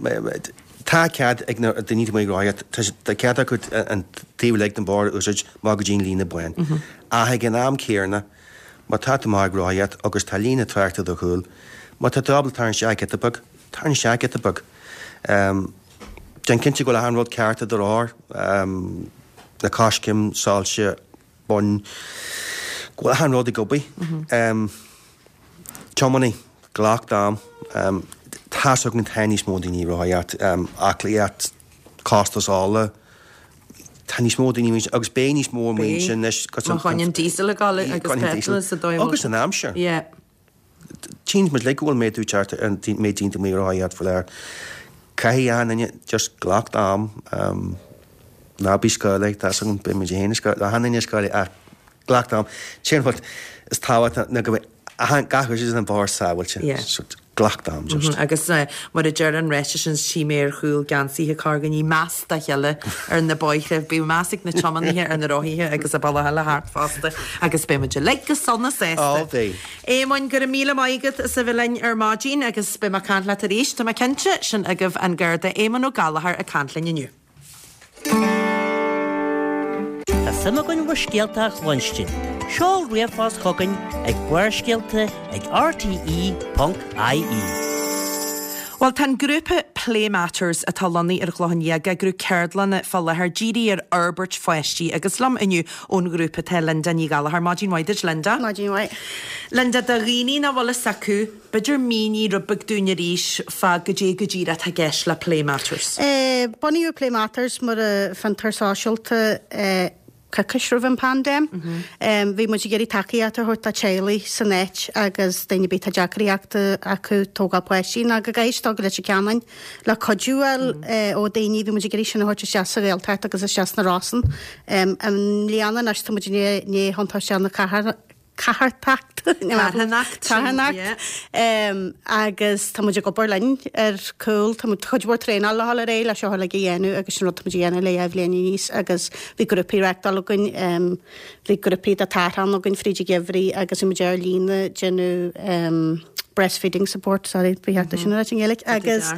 Tá cead ag na daoine atá amuigh ag rothaíocht, tá cead acu an taobh uilig den bhóthar a úsáid amach go dtí an líne bán. Ach ag an am céanna, má tá tú amach ag rothaíocht agus tá líne tráchta i do chúl, má tá tú ábalta tarraingt isteach giota beag, tarraing isteach giota beag. Déan cinnte go bhfuil achan rud ceart i do rothar, na coiscéim, soilse, boinn, go bhfuil achan rud ag obair. Tiománaí, glac d'am. Tá's againn tá níos mó daoine ag rothaíocht, aclaíocht, costas ola, tá níos mó daoine amuigh agus beidh níos mó amuigh ansin anois. Má choinníonn diesel ag dul agus petrol sa dóigh. Agus an aimsir. Yeah. Tchíonn muid uilig go bhfuil méadú ag teacht ar an méid daoine amuigh ag rothaíocht faoi láthair. Caithfidh achan duine just glac d'am, ná bí scáileach, tá's agam, beidh muid féin ag scáileach, achan duine ag scáileach ach glac d'am. Sin an rud is tábhachtaí ná go mbeidh achan, gach úsáid den bhóthar sábháilte. Yeah. So glac d'am just. Agus mar a deir an ráiteas sin tchí mé ar chúl geansaithe corrdhuine, meas dá chéile ar na bóithre, bíodh meas ag na tiománaithe ar na rothaithe agus an bealach eile thart fosta agus beidh muid uilig go sona sásta. Ó bheidh. Éamoinn, go raibh míle maith agat as a bheith linn ar maidin agus beidh mé ag caint leat arís, tá mé cinnte, sin agaibh an Garda Éamonn Ó Gallchóir ag caint linn inniu. Tá suim againn bhur scéalta a chluinstin. Seol ríomhphost chugainn ag Barrscéalta ag rte.ie. Bhuel, tá an grúpa Play Matters atá lonnaithe ar an Chlochán Liath ag eagrú ceardlanna fá láthair dírithe ar fhorbairt pháistí agus liom inniu ón ghrúpa tá Linda Ní Ghallchóir. Maidin mhaith duit, Linda. Maidin mhaith. Linda, do dhaoine nach bhfuil fhios acu, b'fhéidir mínigh rud beag dúinn arís fá goidé go díreach atá i gceist le Play Matters. Bunaíodh Play Matters mar fhiontar sóisialta coicís roimh an bpaindéim. Bhí muid ag iarraidh tacaíocht a thabhairt do teaghlaigh san áit agus daoine ar bith atá deacraíochta acu tógáil páistí nó go gcaithfidh siad dul go Leitir Ceanainn le cuidiú a fháil ó daoine. Bhí muid ag iarraidh sin a thabhairt isteach sa Ghaeltacht agus isteach sna Rosann. I mbliana anois tá muid i ndiaidh thiontú isteach na catharthacht, Carthanacht, carthanacht, agus tá muid ag obair linn ar cúl, tá muid cuid mhór traenáil le dhul ar aghaidh le seo uilig a dhéanamh agus sin rud tá muid a dhéanamh le dhá bhliain aníos agus bhí grúpaí reachtáil againn, bhí grúpaí de tártháin againn fríd an gheimhridh agus bhí muid ar líne ag déanamh breastfeeding support, sorry, ba cheart é sin a ráit i nGaeilge, agus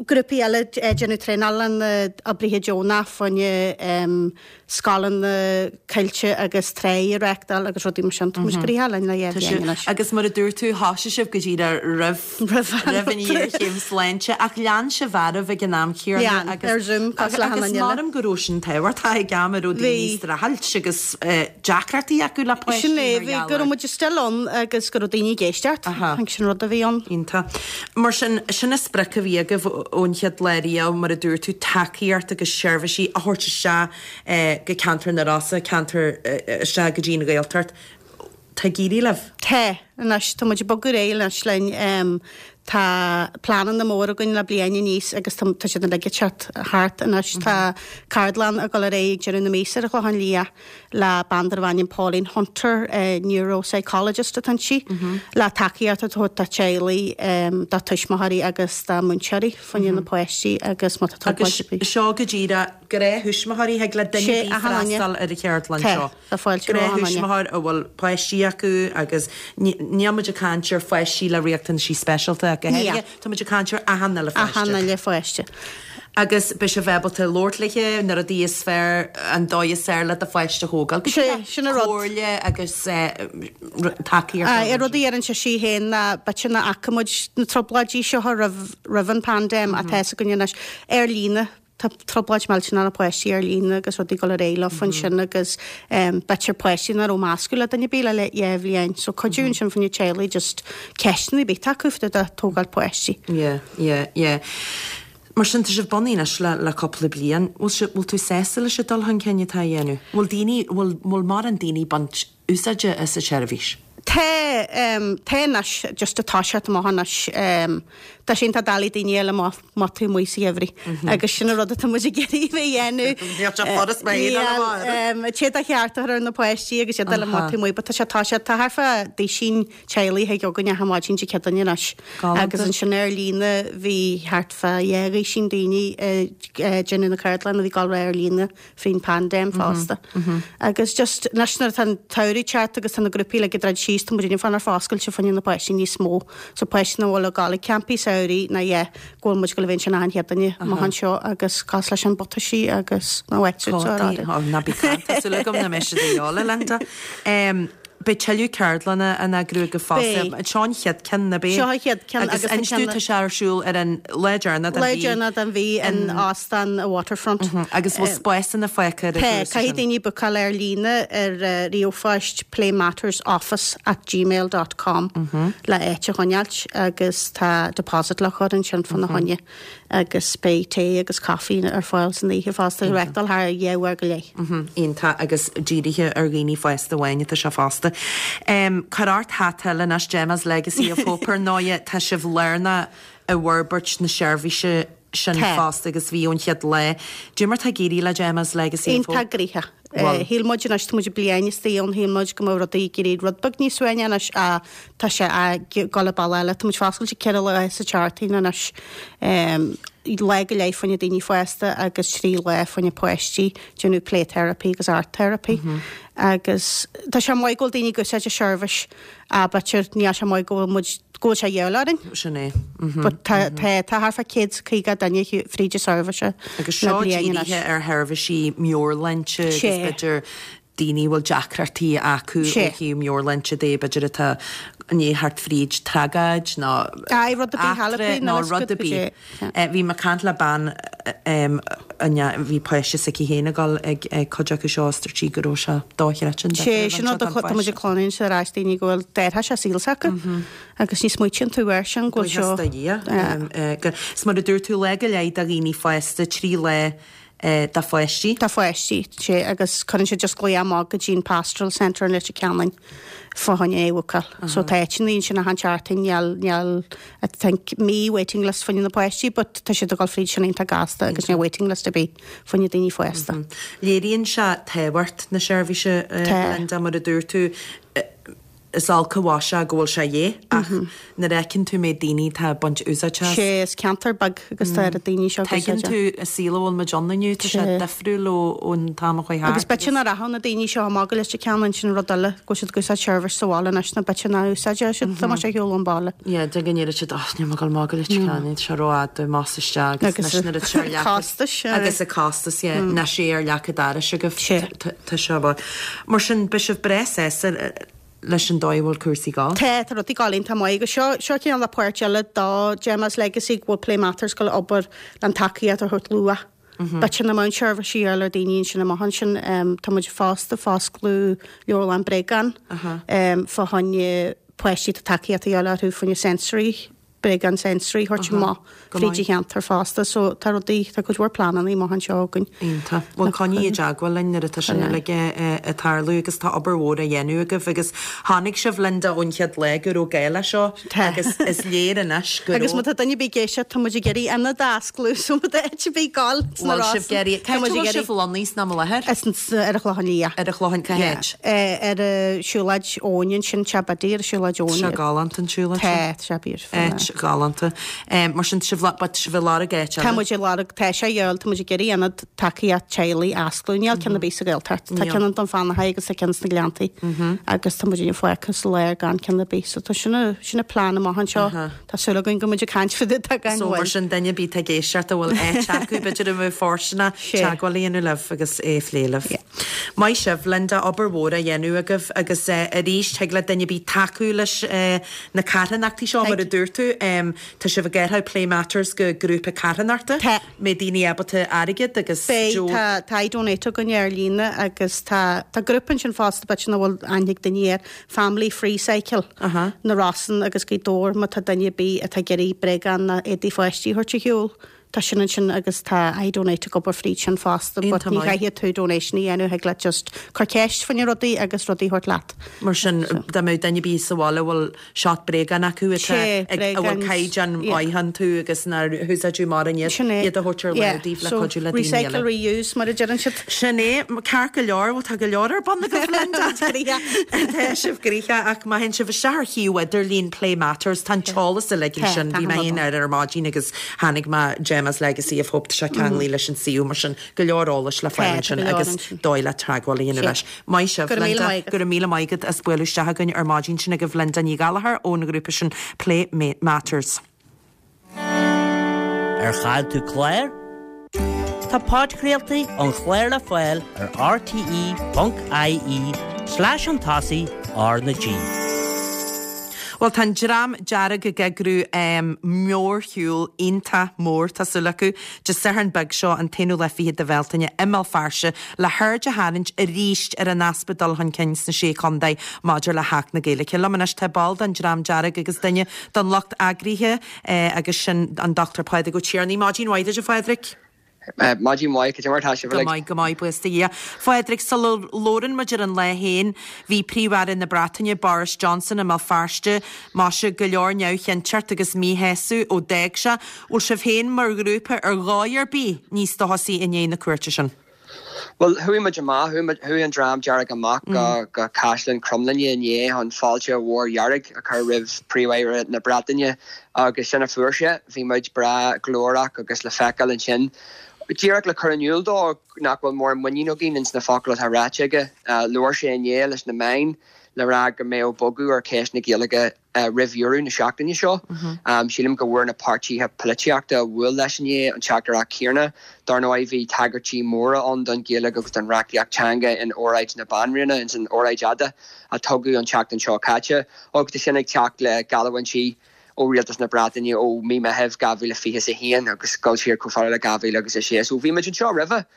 grúpaí eile ag déanamh traenála na oibrithe deonach fá choinne scoileanna coillte agus tráigh a reachtáil agus rudaí mar sin. Tá muid gnoitheach linn le dhá bhliain anois. Agus mar a dúirt tú, thosaigh sibh go díreach roimh roimh an ghéarchéim sláinte ach lean sibh oraibh ag an am céanna Lean, agus ar Zoom cosúil le achan agus duine eile. measaim go raibh sin tábhachtach ag am a raibh daoine Bhí. streachailt agus deacrachtaí acu le páistí Sin é, mar bhí gheall go raibh muid still ann agus go raibh daoine ag éisteacht. Aha. I think sin rud a bhí ann. Iontach. Mar sin, sin an sprioc a bhí agaibh ón chéad lá riamh, mar a dúirt tú, tacaíocht agus seirbhísí a thabhairt isteach go ceantar na Rosann, ceantar isteach go dtí an Ghaeltacht. Tá ag éirí libh? Tá. Anois, tá muid ag bogadh ar aghaidh anois linn. Tá pleananna móra againn le bliain aníos agus tá tá siad uilig ag teacht thart anois. Tá ceardlann ag dul ar aghaidh ag deireadh na míosa ar an Chlochán Liath le bean darbh ainm Pauline Hunter, neuropsychologist atá inti, le tacaíocht a thabhairt do teaghlaigh, do tuismitheoirí agus do múinteoirí fá choinne na páistí agus má tá trioblóid ar bith. Agus seo go díreach gnáth-thuismitheoirí, thig le duine ar bith freastal ar an cheardlann seo. Tá fáilte roimh achan duine. Gnáth-thuismitheoir a bhfuil páistí acu agus níl muid ag caint ar pháistí le riachtanaisí speisialta ach go háirithe, tá muid ag caint ar achan uile pháiste. Achan uile pháiste. Agus beidh sibh ábalta labhairt léi, na rudaí is fearr, an dóigh is fearr le do pháiste a thógáil. Go Sé, sin an rud. Comhairle agus tacaíocht. Aye, an rud a deireann sise féin ná b'fhéidir nach bhfaca muid na trioblóidí seo roimh, roimh an bpaindéim ach tá fhios againn anois ar líne. Tá trioblóid millteanach na páistí ar líne agus rudaí ag dul ar aghaidh leofa ansin agus b'fhéidir páistí nach raibh meascadh le duine ar bith le le dhá bhliain. So cuidiú ansin fá choinne teaghlaigh just ceisteanna ar bith atá acu fá dtaobh de tógáil páistí. Yeah, yeah, yeah. Mar sin tá sibh bunaithe anois le le cúpla bliain. Bhfuil sibh, bhfuil tú sásta leis an dul chun cinn atá á dhéanamh? Bhfuil daoine, bhfuil, bhfuil mórán daoine ag baint úsáide as an tseirbhís? Tá, tá anois, just ag toiseacht amach anois. Tá sé iontach doiligh daoine a fháil amach má tá tú amuigh sa gheimhreadh agus sin an rud atá muid ag iarraidh a bheith a dhéanamh. Níl sé furast mé féin a fháil amach. Níl, sé do cheart a chur ar na páistí agus iad a fháil amach taobh amuigh but tá sé ag toiseacht, tá thart fá duisín teaghlaigh chuig againn achan maidin Dé Céadaoine anois. Galánta. Agus ansin ar líne bhí thart fá dhá dhuisín daoine ag déanamh na ceardlanna a bhí ag dul ar líne. faoin paindéim fosta. Agus just anois nuair atá an tsamhradh ag teacht agus tá na grúpaí uilig ag druid síos, tá muid ag fanacht foscailte fá choinne na páistí níos mó. So páistí nach bhfuil ag gabháil ag campaí samhraidh ná yeah, go bhfuil muid ag gabháil a bheith ansin achan Chéadaoine amach anseo agus cosúil leis an butaisí agus na wetsuits Cótaí, araile. oh, ná bí ag caint, tá súil agam nach mbeidh siad a dhíobháil, a Linda. Beidh tuilleadh ceardlanna á n-eagrú agaibh fosta. Beidh. Seo an chéad ceann, ab é? Seo an chéad ceann Agus agus an inis ceann. dúinn, tá sé ar siúl ar an lá deireanach den Lá mhí. deireanach den mhí in Óstán Waterfront. Agus bhfuil spásanna fágtha ar an Tá, gcúrsa caithfidh sin? daoine bookáil ar líne ar ríomhphost playmattersoffice at gmail dot com le áit a choinneáilt agus tá deposit le cur ansin fána choinne. agus beidh tae agus caife ar fáil san oíche fosta, reáchtáil thar dhá uair go leith. Iontach agus dírithe ar dhaoine fásta amháin atá sé fosta. Cuir ort hata eile anois Gemma's Legacy of Hope ar ndóighe, tá sibh lárnach i bhforbairt na seirbhíse sin fosta agus bhí ón chéad lá. Cad é mar tá ag éirí le Gemma's Legacy of Hope. Iontach gnoitheach. Shíl muid anois, tá muid bliain istigh ann, shíl muid go mbeadh rudaí ag éirí rud beag níos suaimhní anois ach tá sé ag dul an bealach eile. Tá muid foscailte ceithre lá sa tseachtain anois, lá go leith fá choinne daoine fásta agus trí lá fá choinne páistí, déanamh play therapy agus art therapy. Agus tá sé maith go bhfuil daoine ag úsáid an seirbhís ach b'fhéidir níl sé maith go bhfuil muid, go bhfuil sé a dhíobháil orainn. Sin é. But tá, tá, tá thart fá 150 duine fríd an seirbhís Agus le seo bliain anois. dírithe ar sheirbhísí meabhairshláinte agus Sé. b'fhéidir daoine a bhfuil deacrachtaí acu ó Sé. thaobh meabhairshláinte de, b'fhéidir atá i ndiaidh theacht fríd tragóid nó Aye, rud ar bith, eachtra halapí nó nó is rud good ar go bith. dté. Bhí mé ag caint le bean bhí páiste s'aici féin ag dul ag cuid acu seo is dúirt sí go raibh sé dochreidte an Sé sin rud a tá muid ag cluinstin ar ais daoine go bhfuil d'athraigh sé saol s'acu agus ní smaoitíonn tú air sin go bhfuil seo. Buíochas do Dhia. Is mar a dúirt tú, lá go leith do dhaoine fásta, 3 lá do pháistí. Do pháistí, sé, agus cuireann siad just glaoch amach go dtí an Pastoral Centre in Leitir Ceanainn fá choinne é a bhookáil. So tá áiteanna ansin achan tseachtain, níl, níl, I think mí waiting list fá choinne na páistí but tá siad ag dul fríd sin iontach gasta agus níl waiting list ar bith fá choinne daoine fásta. Léiríonn sé tábhacht na seirbhíse, Linda, mar a dúirt tú, Is olc an mhaise é go bhfuil sé a dhíth ach nuair a fheiceann tú méid daoine atá ag baint úsáid as. Sé, is ceantar beag agus tá oiread daoine seo ag Tuigeann úsáid tú an saol a bhfuil muid ann inniu, tá sé difriúil ón t-am a chuaigh thart Agus b'fhéidir nach rachadh na daoine seo amach go Leitir Ceanainn, sin rud eile, go bhfuil siad ag úsáid seirbhís sa bhaile anois nó b'fhéidir nach úsáidfeadh siad dá mbeadh sé ar shiúl ón bhaile. Yeah, de go ndéarfadh siad, oh, níl mé ag dul amach go Leitir Ceanainn, tá sé rófhada, más isteach agus Agus anois nuair atá sé ar leac costais, agus an costas, yeah, anois é ar leac an dorais agaibh, tá sé Mar sin, beidh sibh breá sásta leis an dóigh a bhfuil cúrsaí ag dul. Tá, tá rudaí ag dul iontach maith agus seo, seo cineál de páirt eile do Gemma's Legacy go bhfuil Play Matters ag dul ag obair le an tacaíocht a thabhairt luath. B'fhéidir nach mbeadh seirbhísí ar fáil ar daoine ansin amach ansin. Tá muid fosta ag foscladh leabharlann bréagán fá choinne páistí atá tacaíocht a dhíobháil orthu fá choinne sensory bréagán sensory a thabhairt amach fríd an cheantar fosta so tá rudaí, tá cuid mhór pleananna amach anseo againn. Iontach. Bhuel coinnigh i dteagmháil linn nuair atá sin uilig ag tarlú agus tá obair mhór á dhéanamh agaibh agus chonaic sibh Linda ón chéad lá go raibh gá leis seo agus is léir anois go raibh. Agus má tá duine ar bith ag éisteacht tá muid ag iarraidh ionad a osclú so má tá áit ar bith ag gabháil sna Bhfuil sibh ag iarraidh, cá háit a bhfuil sibh lonnaithe sna láthair? Ar an Chlochán Liath. Ar an Chlochán, cá háit? Ar an siúlóid Eoin ansin, Teach Biddy ar an siúlóid Eoin. Tá sé galánta an siúlóid sin. Tá, tá sé beautiful. Áit ghalánta. Mar sin, tá sibh, but tá sibh ag lorg áit eile. Tá muid ag lorg, tá sé a dhíobháil, tá muid ag iarraidh ionad tacaíocht teaghlaigh a osclú. Níl ceann ar bith sa Ghaeltacht. Tá ceann i nDún Fionnachaidh agus tá ceann sna Gleanntaí. Agus tá muid fágtha sa lár gan ceann ar bith. So tá sin a, sin an plean amach anseo. Tá súil againn go mbeidh muid ag caint fá dtaobh de gan So mar mhoill. sin, duine ar bith atá ag éisteacht a bhfuil áit acu, b'fhéidir a bheadh fóirsteanach, teagmháil a dhéanamh libh agus é a phlé libh. Maith sibh, Linda, obair mhór á dhéanamh agaibh agus arís, thig le duine ar bith tacú leis na carthanachtaí seo, mar a dúirt tú, tá sibh ag athrú Play Matters go grúpa carthanachta, Tá. mbeidh daoine ábalta airgead agus Beidh, tá, tá iDonate againn ar líne agus tá, tá grúpa ansin fosta b'fhéidir nach bhfuil aithne ag daoine air, Family Freecycle, na Rosann agus Gaoth Dobhair má tá duine ar bith atá ag iarraidh bréagáin nó éadaí pháistí a thabhairt ar shiúl. Tá sin ansin agus tá iDonate ag obair fríd sin fosta but ní chaithfidh tú donation a dhéanamh, thig leat just cur ceist faoi na rudaí agus rudaí a thabhairt leat. Mar sin, dá mbeadh duine ar bith sa bhaile a bhfuil seort bréagán acu atá ag, a bhfuil caighdeán maith iontu agus nár húsáideadh mórán iad, iad a thabhairt ar láimh daoibh le cuidiú le daoine eile. Recycle, reuse mar a deireann siad. Sin é, ceart go leor, bhuel tá go leor ar bun agaibh Linda. Tá sibh gnoitheach ach má théann sibh isteach ar shuíomh idirlín Play Matters tá an t-eolas uilig ansin, bhí mé féin air ar maidin agus Tháinig mé Gemma's Legacy of Hope, tá sé ceanglaithe leis an suíomh mar sin go leor eolais le fáil ansin agus dóigh le teagmháil a dhéanamh leis. Maith sibh, Linda. Go raibh míle maith agat as bualadh isteach chugainn ar maidin. Sin agaibh Linda Ní Ghallchóir ón ghrúpa sin Play Matters. Ar chaill tú clár? Tá podchraoltaí an chláir le fáil ar rte.ie slash chun tosaigh R na G. Bhuel, tá an Dream Dearg ag eagrú mórshiúl iontach mór, tá súil acu, Dé Sathairn beag seo, an t-aonú lá fichead de Bhealtaine, i mBéal Feirste, le haird a tharraingt arís ar an easpa dul chun cinn sna Sé Chontae maidir le hAcht na Gaeilge. Liom anois tá ball den Dream Dearg agus duine den lucht eagraithe agus sin an Dr Pádraig Ó Tiarnaigh. Maidin mhaith duit, a Phádraig. Maidin mhaith, cad é mar atá sibh uilig? Go maith, go maith, buíochas do Dhia. Phádraig, sula labhrann muid ar an lá féin, bhí Príomh-Aire na Breataine, Boris Johnson, i mBéal Feirste, maise, go leor neamhchinnteacht agus míshásamh ó d'fhág sé. Bhfuil sibh féin mar ghrúpa ar dhóigh ar bith níos dóchasaí i ndiaidh na cuairte sin? Bhuel, chuaigh muid amach, chuaigh an Dream Dearg amach go Caisleán Cromghlinne inné chun fáilte mhór dhearg a chur roimh Phríomh-Aire na Breataine agus sin a fuair sé. Bhí muid breá glórach agus le feiceáil ansin. Díreach le cur in iúl dó nach bhfuil mórán muinín againn ins na focail atá ráite aige. Labhair sé inné leis na meáin le rá go mbeadh bogadh ar cheist na Gaeilge roimh dheireadh na seachtaine seo. Sílim go bhfuair na páirtithe polaitíochta a bhuail leis inné an teachtaireacht chéanna. Dar ndóigh bhí tagairtí móra ann don Ghaeilge agus don reachtaíocht teanga in óráid na Banríona, ins an óráid fhada a tugadh an tseachtain seo caite, agus tá sin ag teacht le geallúintí ó Rialtas na Breataine ó mí Meithimh 2021 agus dul siar chomh fada le 2006. So bhí muid anseo roimhe.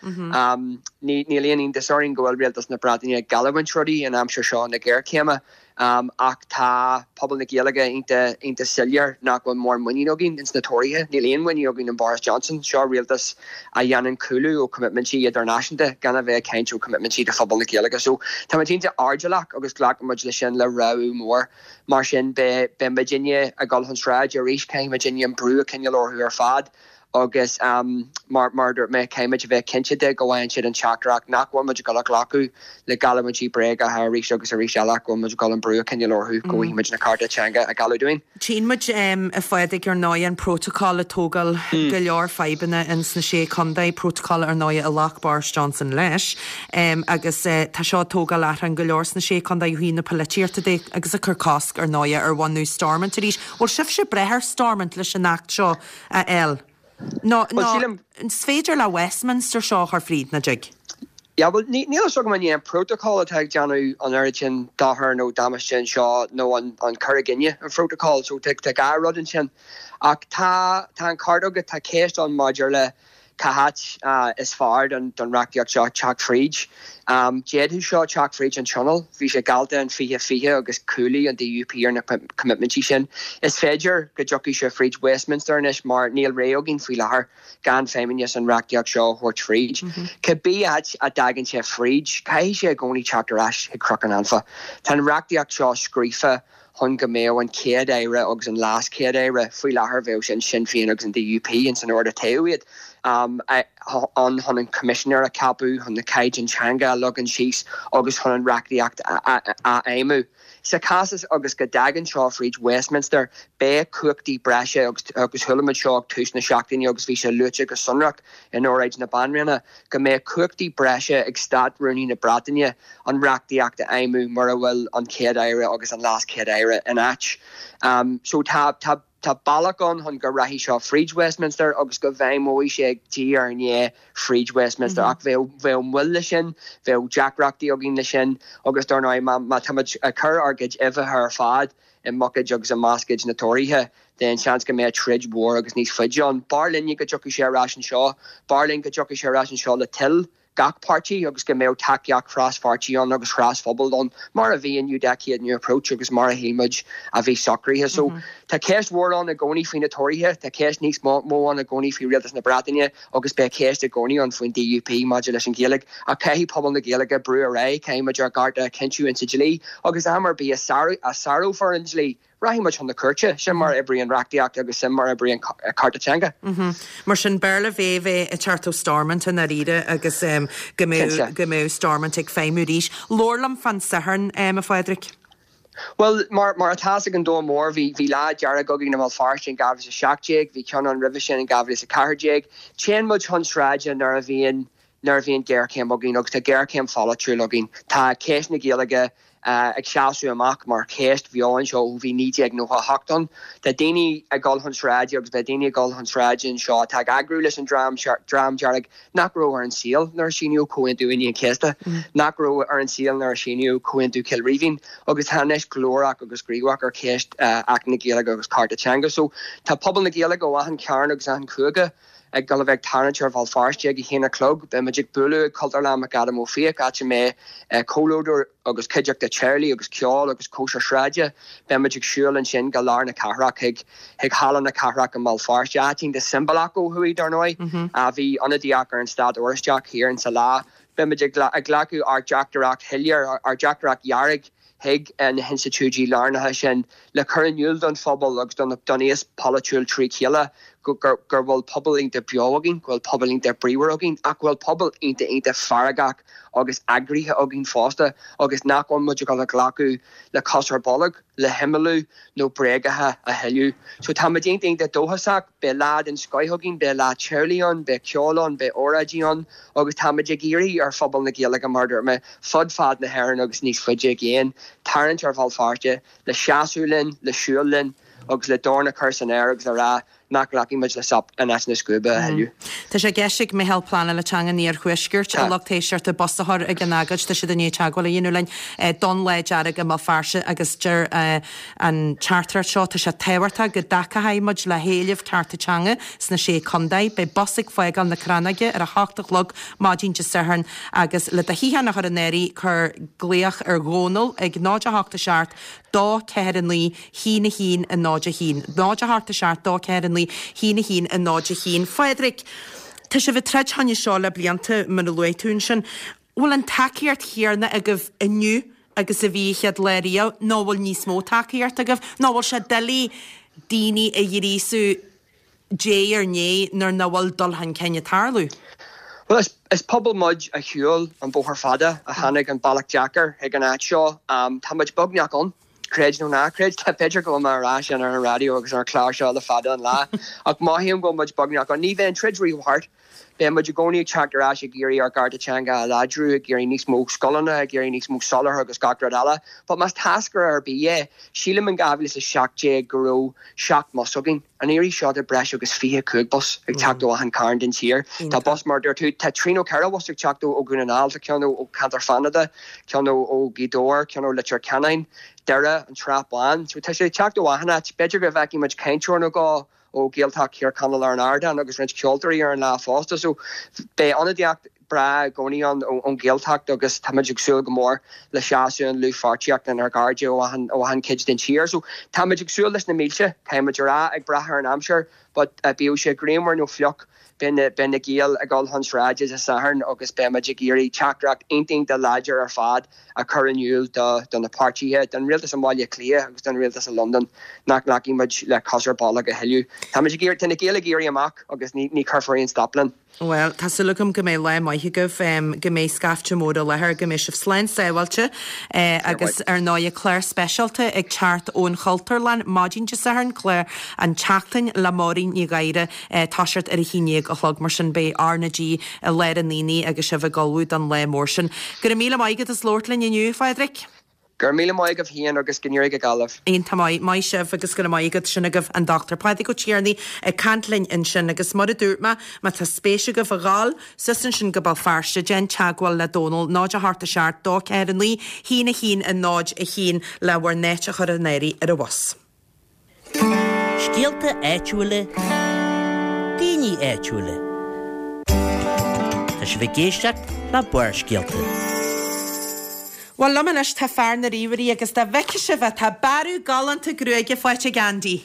Níl aon iontas orainn go bhfuil Rialtas na Breataine ag geallúint rudaí in aimsir seo na géarchéime. Ach tá pobal na Gaeilge iontach soiléir nach bhfuil mórán muinín againn ins na Tóraithe. Níl aon mhuinín againn in Boris Johnson. Seo rialtas a dhéanann cúlú ó choimitmintí idirnáisiúnta, gan a bheith ag caint ó choimitmintí do phobal na Gaeilge. So tá muid iontach airdeallach agus glacann muid leis sin le rabhadh mór. Mar sin beidh muidinne ag dul chun sráide arís, caithfidh muidinne an brú a choinneáil orthu ar fad. Agus mar a dúirt mé, caithfidh muid a bheith cinnte de go bhfaigheann siad an teachtaireacht nach bhfuil muid ag dul a ghlacadh le geallúintí bréagacha arís agus arís eile ach go bhfuil muid ag dul an brú a choinneáil orthu go bhfaighidh muid na cearta teanga a gealladh dúinn. Tchíonn muid, a Phádraig, ar ndóigh, an Prótacal ag tógáil go leor fadhbanna ins na Sé Chontae, prótacal ar ndóigh a ghlac Boris Johnson leis, agus tá seo ag tógáil achrann go leor sna Sé Chontae ó thaobh na polaitíochta de agus ag cur cosc ar ndóigh ar bhunú Stormont arís. Bhfuil sibhse breá ar Stormont leis an Acht seo? a fháil. Nó, Bhuel, nó, sílim. is féidir le Westminster seo a chur fríd, nach dtig? Yeah, bhuel, ní, níl a fhios agam an é an prótacal atá ag déanamh an oiread sin dochair nó damáiste anseo nó an, an cur i gcoinne an phrótacail. So tá, tá dhá rud ansin. Ach tá, tá an ceart agat, tá ceist ann maidir le cá háit is fearr don reachtaíocht seo teacht fríd. D'fhéadfadh seo teacht fríd an Tionól. Bhí sé geallta in 2020 agus chúlaigh an DUP ar na coimitmintí sin. Is féidir go dtiocfaidh sé fríd Westminster anois mar níl rogha againn faoi láthair gan feidhmeannas an reachtaíocht seo a thabhairt fríd. Cibé áit a dtagann sé fríd, caithfidh sé i gcónaí teacht ar ais chuig Cnoc an Anfa. Tá an reachtaíocht seo scríofa chun go mbeadh an Chéad-Aire agus an LeasChéad-Aire, faoi láthair bheadh sin Sinn Féin agus an DUP, ins an ord a toghadh iad, ann chun an Coimisinéir a cheapadh, chun na caighdeáin teanga a leagan síos agus chun an reachtaíocht a fheidhmiú. Sa chás is agus go dtagann seo fríd Westminster, beidh cumhachtaí breise agus agus chuala muid seo ag tús na seachtaine agus bhí sé luaite go sonrach in óráid na Banríona, go mbeadh cumhachtaí breise ag Stát-Rúnaí na Breataine an reachtaíocht a fheidhmiú mura bhfuil an Chéad-Aire agus an LeasChéad-Aire in áit. So tá, tá, tá bealach ann chun go rachaidh seo fríd Westminster agus go bhfeidhmeoidh sé diaidh ar ndiaidh fríd Westminster ach bheadh, bheadh moill leis sin, bheadh deacrachtaí againn leis sin agus dar ndóigh má, má tá muid ag cur ár gcuid uibheacha ar fad i mbuicéid agus i mbascaeid na Tóraithe then seans go mbeadh troid mhór agus níos faide ann. B'fhearr linne go dtiocfaidh sé ar ais anseo, b'fhearr linn go dtiocfaidh sé ar ais anseo le toil. gach páirtí agus go mbeadh tacaíocht thras-pháirtí ann agus thras-phobail ann, mar a bhí in New Decade New Approach agus mar a shíl muid a bhí socraithe. So tá ceist mhór ann i gcónaí faoi na Tóraithe, tá ceist níos mó ann i gcónaí faoi Rialtas na Breataine agus beidh ceist i gcónaí ann faoin DUP maidir leis an Ghaeilge. Ach caithfidh pobal na Gaeilge brú ar aghaidh, caithfidh muid ár gcearta a chinntiú insa dlí agus am ar bith a sárófar an dlí, Rachaidh muid chun na cúirte. Sin mar a oibríonn reachtaíocht agus sin mar a oibríonn cearta teanga. Mar sin, b'fhearr le Méabh ag teacht ó Stormont i ndáiríre agus go mbeadh, go mbeadh Stormont ag feidhmiú arís. Labhair liom fán Satharn, a Phádraig. Bhuel, mar, mar atá fhios ag an domhan mór, bhí, bhí lá dearg againn i mBéal Feirste in 2017, bhí ceann ann roimhe sin in 2014. Téann muid chun sráide nuair a bhíonn, nuair a bhíonn géarchéim againn agus tá géarchéim pholaitiúil againn. Tá ceist na Gaeilge ag seasamh amach mar cheist bheo anseo ó bhí 1998 ann. Tá daoine ag dul chun sráide agus beidh daoine ag dul chun sráide anseo atá ag eagrú leis an Dream Dream Dearg nach raibh ar an saol nuair a síníodh Comhaontú Aoine an Chéasta, nach raibh ar an saol nuair a síníodh Comhaontú Chill Rímhinn agus tá anois glórach agus gníomhach ar cheist Acht na Gaeilge agus cearta teanga. So tá pobal na Gaeilge ó achan chearn agus achan chúige ag dul a bheith ag tarraingt ar Bhéal Feirste ag a haon a chlog. Beidh muid ag bualadh ag Cultúrlann McAdam Ó Fiaich, áit a mbeidh comhluadar agus cuideachta teaghlaigh agus ceol agus cóisir sráide. Beidh muid ag siúl ansin go lár na cathrach chuig chuig Halla na Cathrach i mBéal Feirste, áit iontach siombalach ó thuaidh, dar ndóigh. Bhí ionadaíocht ar an Stát Oráisteach thiar insa lá. Beidh muid ag glacadh ár dteachtaireacht shoiléir, ár dteachtaireacht dhearg chuig na hinstitiúidí lárnacha sin le cur in iúl don phobal agus don aos polaitiúil trí chéile go bhfuil pobal iontach beo againn, go bhfuil pobal iontach bríomhar againn ach go bhfuil pobal iontach iontach feargach agus eagraithe againn fosta agus nach bhfuil muid ag dul a ghlacadh le cos ar bolg. le himeallú nó bréagacha a thuilleadh. So tá muid iontach iontach dóchasach, beidh lá den scoith againn, beidh lá teaghlaigh ann, beidh ceol ann, beidh óráidí ann agus tá muid ag iarraidh ar phobal na Gaeilge, mar a dúirt mé, fud fad na hÉireann agus níos faide i gcéin, tarraingt ar Bhéal Feirste le seasamh linn, le siúl linn agus le dorn a chur san aer agus le rá nach nglacfaidh muid le sop in áit na scuaibe a thuilleadh. Tá sé i gceist ag Meitheal Pleanála Teanga an Iarthuaiscirt a lucht éisteachta bus a chur ag an agóid. Tá siad i ndiaidh teagmháil a dhéanamh linn don Lá Dearg i mBéal Feirste agus deir an teachtaireacht seo, tá sé tábhachtach go dtacóidh muid le héilimh cearta teanga sna Sé Contae. Beidh bus ag fágáil na Crannóige ar a hocht a chlog maidin Dé Sathairn agus le do shuíochán a chur in áirithe cuir glaoch ar Dhónal ag 0 8 7 2 4 9 1 1 0 1 0 8 7 2 4 9 1 1 0 1 Phádraig, tá sibh ag troid fá choinne seo le blianta, mar a luaigh tú ansin. Bhfuil an tacaíocht chéanna agaibh inniu agus a bhí an chéad lá riamh nó bhfuil níos mó tacaíocht agaibh nó bhfuil sé doiligh daoine a ghríosú diaidh ar ndiaidh nuair nach bhfuil dul chun cinn ag tarlú. Bhuel, is pobal muid a shiúil an bóthar fada, a tháinig an bealach deacair chuig an áit seo. Tá muid beagnach ann, creid nó ná creid. B'fhéidir go bhfuil mé á rá sin ar an raidió agus ar an chlár seo le fada an lá, ach mothaím go bhfuil muid beagnach ann. Ní bheidh an troid riamh thart. Beidh muid i gcónaí ag teacht ar ais ag iarraidh ár gcearta teanga a láidriú, ag iarraidh níos mó scoileanna, ag iarraidh níos mó soláthair agus gach rud eile. But más táscaire ar bith é, sílim in 2017 go raibh 7 mbus againn. An iarraidh seo tá breis agus 25 bus ag teacht ó achan cearn den tír. Tá bus, mar a dúirt tú, tá trí nó ceithre bhus ag teacht ó Dhún na nGall, tá ceann ó cheantar Fánada, ceann ó Ghaoth Dobhair, ceann ó Leitir Ceanainn, Doire, an tSrath Bán. So tá sé ag teacht ó achan áit. B'fhéidir go bhfeicfidh muid cainteoir nó dhó ó Ghaeltacht Thír Chonaill ar an ardán agus roinnt ceoltóirí ar an lá fosta. So beidh ionadaíocht breá i gcónaí ann ón Ghaeltacht agus tá muid ag súil go mór le seasamh an dlúthpháirtíocht lenár gcairde ó achan ó achan chuid den tír. So tá muid ag súil leis na mílte, caithfidh muid a rá, ag brath ar an aimsir but bíodh sé grianmhar nó fliuch, beidh na beidh na Gaeil ag dul chun sráide Dé Sathairn agus beidh muid ag iarraidh teachtaireacht iontach iontach láidir ar fad a chur in iúl do do na páirtithe, don rialtas i mBaile Átha Cliath agus don rialtas i Londain nach nglacfaidh muid le cos ar bolg a thuilleadh. Tá muid ag iarraidh, tá na Gaeil ag éirí amach agus ní ní chuirfear aon stop linn. Bhuel, tá súil agam go mbeidh lá maith agaibh, go mbeidh scaifte mór i láthair, go mbeidh sibh slán sábháilte agus ar ndóigh clár speisialta ag teacht ón Chultúrlann maidin Dé Sathairn, clár An tSeachtain le Máirín Ní Ghadhra, toiseacht ar a haon déag a chlog, mar sin beidh R na G i lár an aonaigh agus sibh ag ullmhú don lá mór sin. Go raibh míle maith agat as labhairt linn inniu, a Phádraig. Go raibh míle maith agaibh féin agus go n-éirí go geal libh. Iontach maith. Maith sibh agus go raibh maith agat. Sin agaibh an Dr Pádraig Ó Tiarnaigh ag caint linn ansin agus mar a dúirt mé, má tá spéis agaibh a dhul suas ansin go Béal Feirste, déan teagmháil le Dónal, 0 8 7 2 4 9 1 1 0 1 le bhur n-áit a chur in áirithe ar an bhus. Scéalta áitiúla, daoine áitiúla. Tá sibh ag éisteacht le Barrscéalta. Bhuel, liom anois tá fear na ríomhairí agus dá bhfeicfeadh sibh é, tá bearradh galánta gruaige faighte ag Andy.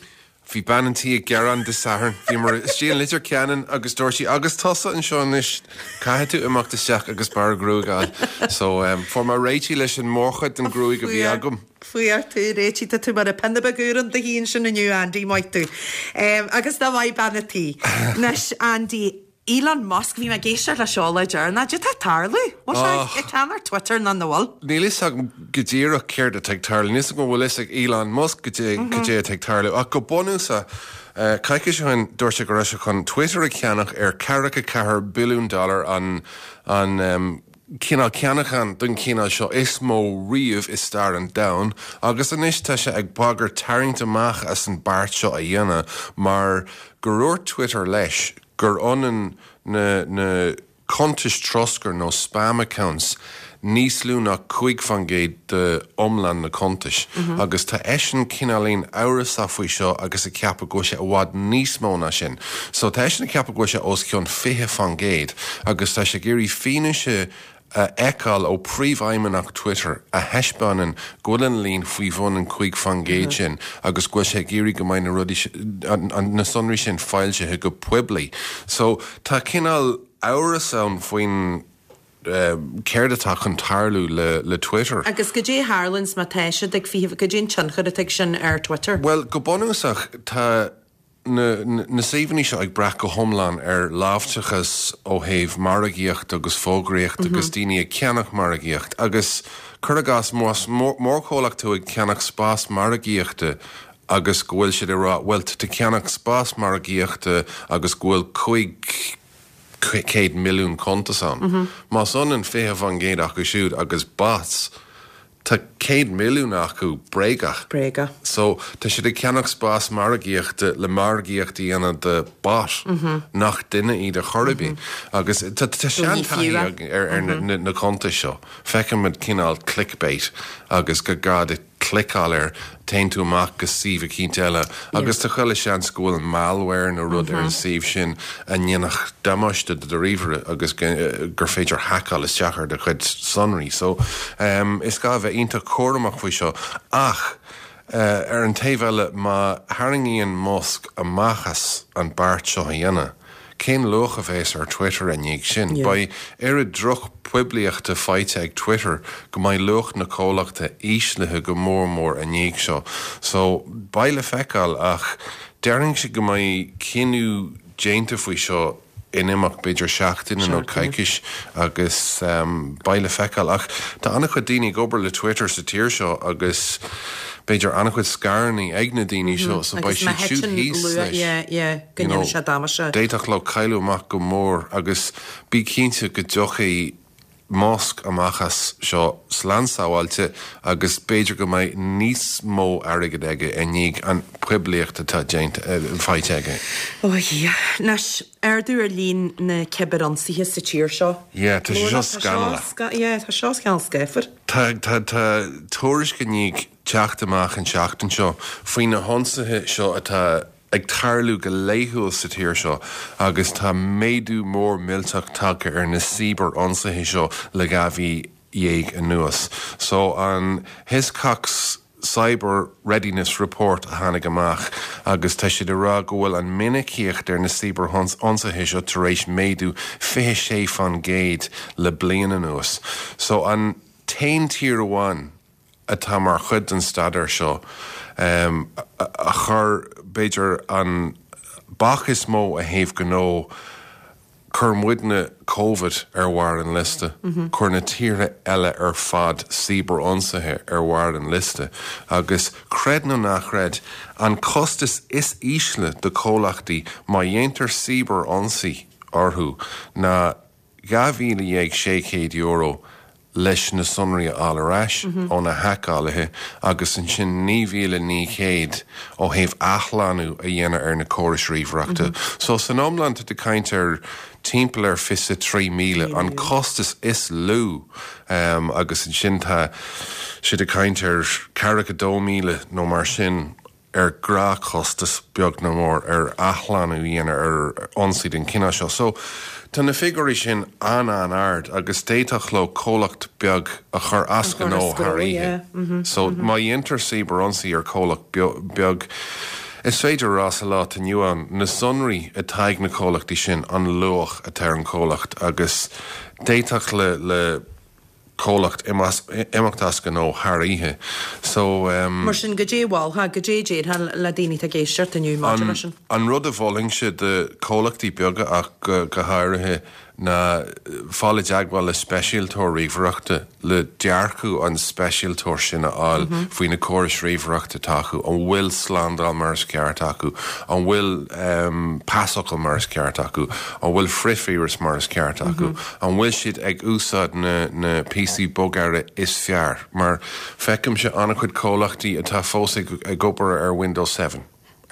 Bhí bean an tí ag gearán Dé Sathairn. Bhíomar istigh in Leitir Ceanainn agus dúirt sí, 'Agus tusa anseo anois, caithfidh tú imeacht isteach agus bearradh gruaige a fháil. So, fuair mé réitithe leis an mórchuid den ghruaig a bhí agam. Fuair tú réitithe, tá tú mar an pionna beag úr in do thigh ansin inniu, Andy, maith tú. Agus nach maith bean an tí. Anois, Andy, Elon Musk, bhí mé ag éisteacht leis seo lá deireanach, cad é atá ag tarlú? Bhfuil sé ag ceannach Twitter nó nach bhfuil? Níl fhios agam go díreach céard atá ag tarlú, níl fhios agam an bhfuil fhios ag Elon Musk goidé goidé atá ag tarlú ach go bunúsach, coicís ó shin dúirt sé go raibh sé chun Twitter a cheannach ar ceathracha ceathair billiún dollar an an cineál ceannachán den chineál seo is mó riamh i stair an domhain agus anois tá sé ag bagairt tarraingt amach as an beart seo a dhéanamh mar gur dhúirt Twitter leis gur ionann na na cuntais troscair nó spam accounts níos lú ná 5% de iomlán na cuntais agus tá eisean cineáilín amhrasach faoi seo agus ag ceapadh go bhfuil sé i bhfad níos mó ná sin. So tá eisean ag ceapadh go bhfuil sé os cionn 20% agus tá sé ag iarraidh fianaise a fheiceáil ó phríomhfheidhmeannach Twitter a thaispeánann go bhfuil an líon faoi bhun an 5% sin agus go bhfuil sé ag iarraidh go mbeidh na rudaí, na sonraí sin foilsithe go poiblí. So tá cineál amhras ann faoin céard atá chun tarlú le Twitter. Agus goidé a tharlaíonns má tá siad ag 20, goidé an tionchar atá ag sin ar Twitter? Bhuel, go bunúsach tá na suíomhanna seo ag brath go hiomlán ar láimhdeachas ó thaobh margaíocht agus fógraíocht agus daoine ag ceannach margaíocht agus cuir i gcás más mórchomhlacht tú ag ceannach spás margaíochta agus go bhfuil siad ag rá bhuel tá tú ag ceannach spás margaíochta agus go bhfuil 500 milliún cuntas ann. Más ionann 20% acu siúd agus bots, Tá 100 milliún acu bréagach. Bréagach. So, tá siad ag ceannach spás margaíochta le margaíocht a dhéanamh do bot nach duine iad ar chor ar bith. Agus tá seantaithí againn ar na cuntais seo. Feicimid cineál clickbait agus gur gá duit cliceáil air, téann tú amach go suíomh eicínt eile agus tá chuile seans go bhfuil malware nó rud ar an suíomh sin a ndéanfadh damáiste do do ríomhaire agus gur féidir haiceáil isteach ar do chuid sonraí. So, is gá a bheith iontach cúramach faoi seo. Ach, ar an taobh eile, má tharraingíonn Musk amach as an beart seo a dhéanamh, cén luach a bheas ar Twitter i ndiaidh sin? Beidh oiread drochphoiblíochta faighte ag Twitter go mbeidh luach na comhlachta íslithe go mór mór i ndiaidh seo. So, beidh le feiceáil ach déarfainnse go mbeidh cinneadh déanta faoi seo in imeacht b'fhéidir seachtaine nó coicís agus beidh le feiceáil. Ach tá an-chuid daoine ag obair le Twitter sa tír seo agus b'fhéidir an-chuid scaireanna ag na daoine seo so beidh siad siúd thíos leis. You know, d'fhéadfadh leo cailleadh amach go mór agus bí cinnte go dtiocfaidh Musk amach as seo slán sábháilte agus b'fhéidir go mbeidh níos mó airgid aige i ndiaidh an poiblíocht atá déanta, faighte aige. Ó a Dhia. Anois, ardú ar líon na cibirionsaithe sa tír seo. Yeah, tá sé seo scannalach. Yeah, tá seo cineál scáfar. Tá, tá, tá tuairisc i ndiaidh teacht amach an tseachtain seo faoi na hionsaithe seo atá ag tarlú go laethúil sa tír seo agus tá méadú mór millteach tagtha ar na cibear-ionsaithe seo le 12 mhí anuas. So an Hiscox Cyber Readiness Report a tháinig amach agus tá siad ag rá go bhfuil an minicíocht ar na cibear-ionsaithe seo tar éis méadú 26% le bliain anuas. So an t-aon tír amháin atá mar chuid den staidéar seo a chuir, b'fhéidir, an bac is mó ó thaobh gnó, chuir muidne Covid ar bharr an liosta, chuir na tíortha eile ar fad cibear-ionsaithe ar bharr an liosta agus, creid nó ná creid, an costas is ísle do chomhlachtaí má dhéantar cibear-ionsaí orthu ná €12,600 leis na sonraí a fháil ar ais ó na haiceálaithe agus ansin 9,900 ó thaobh athshlánú a dhéanamh ar na córais ríomhaireachta. So san iomlán tá tú ag caint ar timpeall ar 23,000, an costas is lú agus ansin tá siad ag caint ar 42,000 nó mar sin. ar ghnáthchostas, beag nó mór, ar athshlánú a dhéanamh ar ionsaí den chineál seo. So, tá na figiúirí sin an-an-ard agus d'fhéadfadh leo comhlacht beag a chur as gnó thar oíche. So, má dhéantar cibear-ionsaí ar chomhlacht beag, is féidir a rá sa lá atá inniu ann, na sonraí atá ag na comhlachtaí sin, an luach atá ar an chomhlacht agus d'fhéadfadh le le comhlacht imeacht as gnó thar oíche. So. Mar sin, goidé a mholfá, goidé a déarfá le daoine atá ag éisteacht inniu maidir leis sin? An rud a mholfainnse do chomhlachtaí beaga ach go háirithe ná fáil i dteagmháil le speisialtóir ríomhaireachta, le dearcadh an speisialtóir sin a fháil faoi na córais ríomhaireachta atá acu, an bhfuil slándáil mar is ceart acu, an bhfuil pasfhocal mar is ceart acu, an bhfuil frithvíreas mar is ceart acu, an bhfuil siad ag úsáid na na píosaí bogearra is fearr, mar feicimse an-chuid comhlachtaí atá fós ag ag obair ar Windows 7,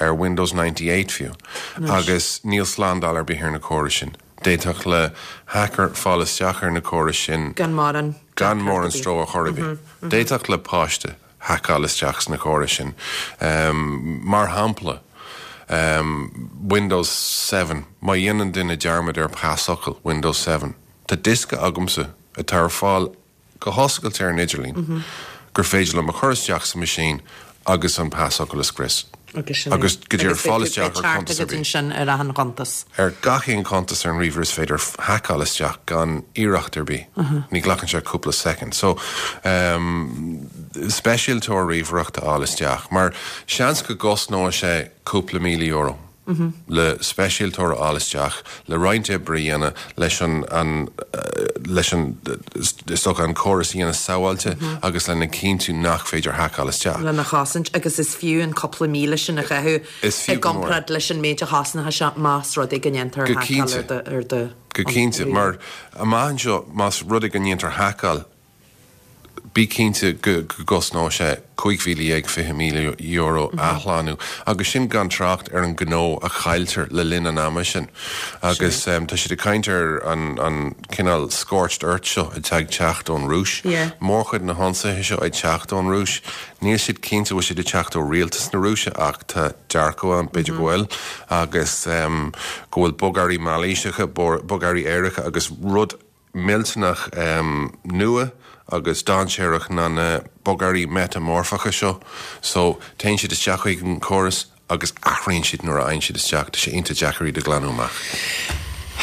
ar Windows 98 fiú, agus níl slándáil ar bith ar na córais sin. D'fhéadfadh le hacker fáil isteach ar na córais sin gan mórán gan mórán stró ar chor ar bith. D'fhéadfadh le páiste haiceáil isteach sna córais sin. Mar shampla, Windows 7, má dhéanann duine dearmad ar pasfhocal Windows 7, tá diosca agamsa atá ar fáil go hoscailte ar an idirlíon gur féidir liom a chur isteach sa machine agus an pasfhocal a scrios. Agus sin é. Agus go díreach fáil isteach ar chuntas ar bith. ansin ar achan chuntas. Ar gach aon chuntas ar an ríomhaire is féidir haiceáil isteach gan iarracht ar bith. Ní ghlacann sé cúpla soicind. So, speisialtóir ríomhaireachta a fháil isteach. Mar seans go gcosnóidh sé cúpla €1,000. le speisialtóir a fháil isteach, le roinnt oibre a dhéanamh leis an, an, leis an, is dócha, an córas a dhéanamh sábháilte agus lena chinntiú nach féidir haiceáil isteach. lena chosaint agus is fiú an cúpla míle sin a chaitheamh i gcomparáid leis an méid a chosnódh sé más rud é go ndéantar haiceáil ar do, ar do. Go cinnte, mar amach anseo más rud é go ndéantar haiceáil, Bí cinnte go gcosnóidh sé €15,000, €20,000 athshlánú, agus sin gan trácht ar an ngnó a chailltear le linn an ama sin. Agus tá siad ag caint ar an cineál scorched earth seo atá ag teacht ón Rúis. Mórchuid na hionsaithe seo ag teacht ón Rúis. Níl siad cinnte bhfuil siad ag teacht ó rialtas na Rúise ach tá dearcadh ann, b'fhéidir go bhfuil, agus go bhfuil bogearraí mailíseacha, bogearraí éirice agus rud millteanach nua agus dainséarach ná na bogearraí meiteamorfacha seo. So, téann siad isteach chuig an córas agus athraíonn siad nuair a fhaigheann siad isteach. Tá sé iontach deacair iad a ghlanadh amach.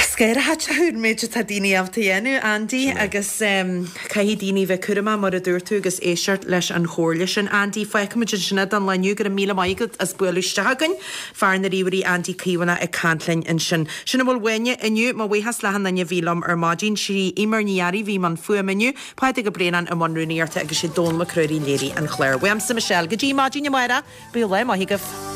Scanraitheach an méid atá daoine ábalta a dhéanamh, Andy, agus caithfidh daoine bheith cúramach mar a dúirt tú agus éisteacht leis an chomhairle sin. Andy, fágfaimid ansin é don lá inniu. Go raibh míle maith agat as bualadh isteach chugainn. Fear na ríomhairí Andy Caomhánach ag caint linn ansin. Sin a bhfuil uainne inniu. Mo bhuíochas le achan duine a bhí liom ar maidin. Sí Eimear Ní Fhearraigh a bhí i mbun fuaime inniu, Pádraig Ó Braonáin i mbun rúnaíochta agus sé Dónal Mac Ruairí a léirigh an clár. Uaimse Michelle go dtí maidin amárach, bíodh lá maith agaibh.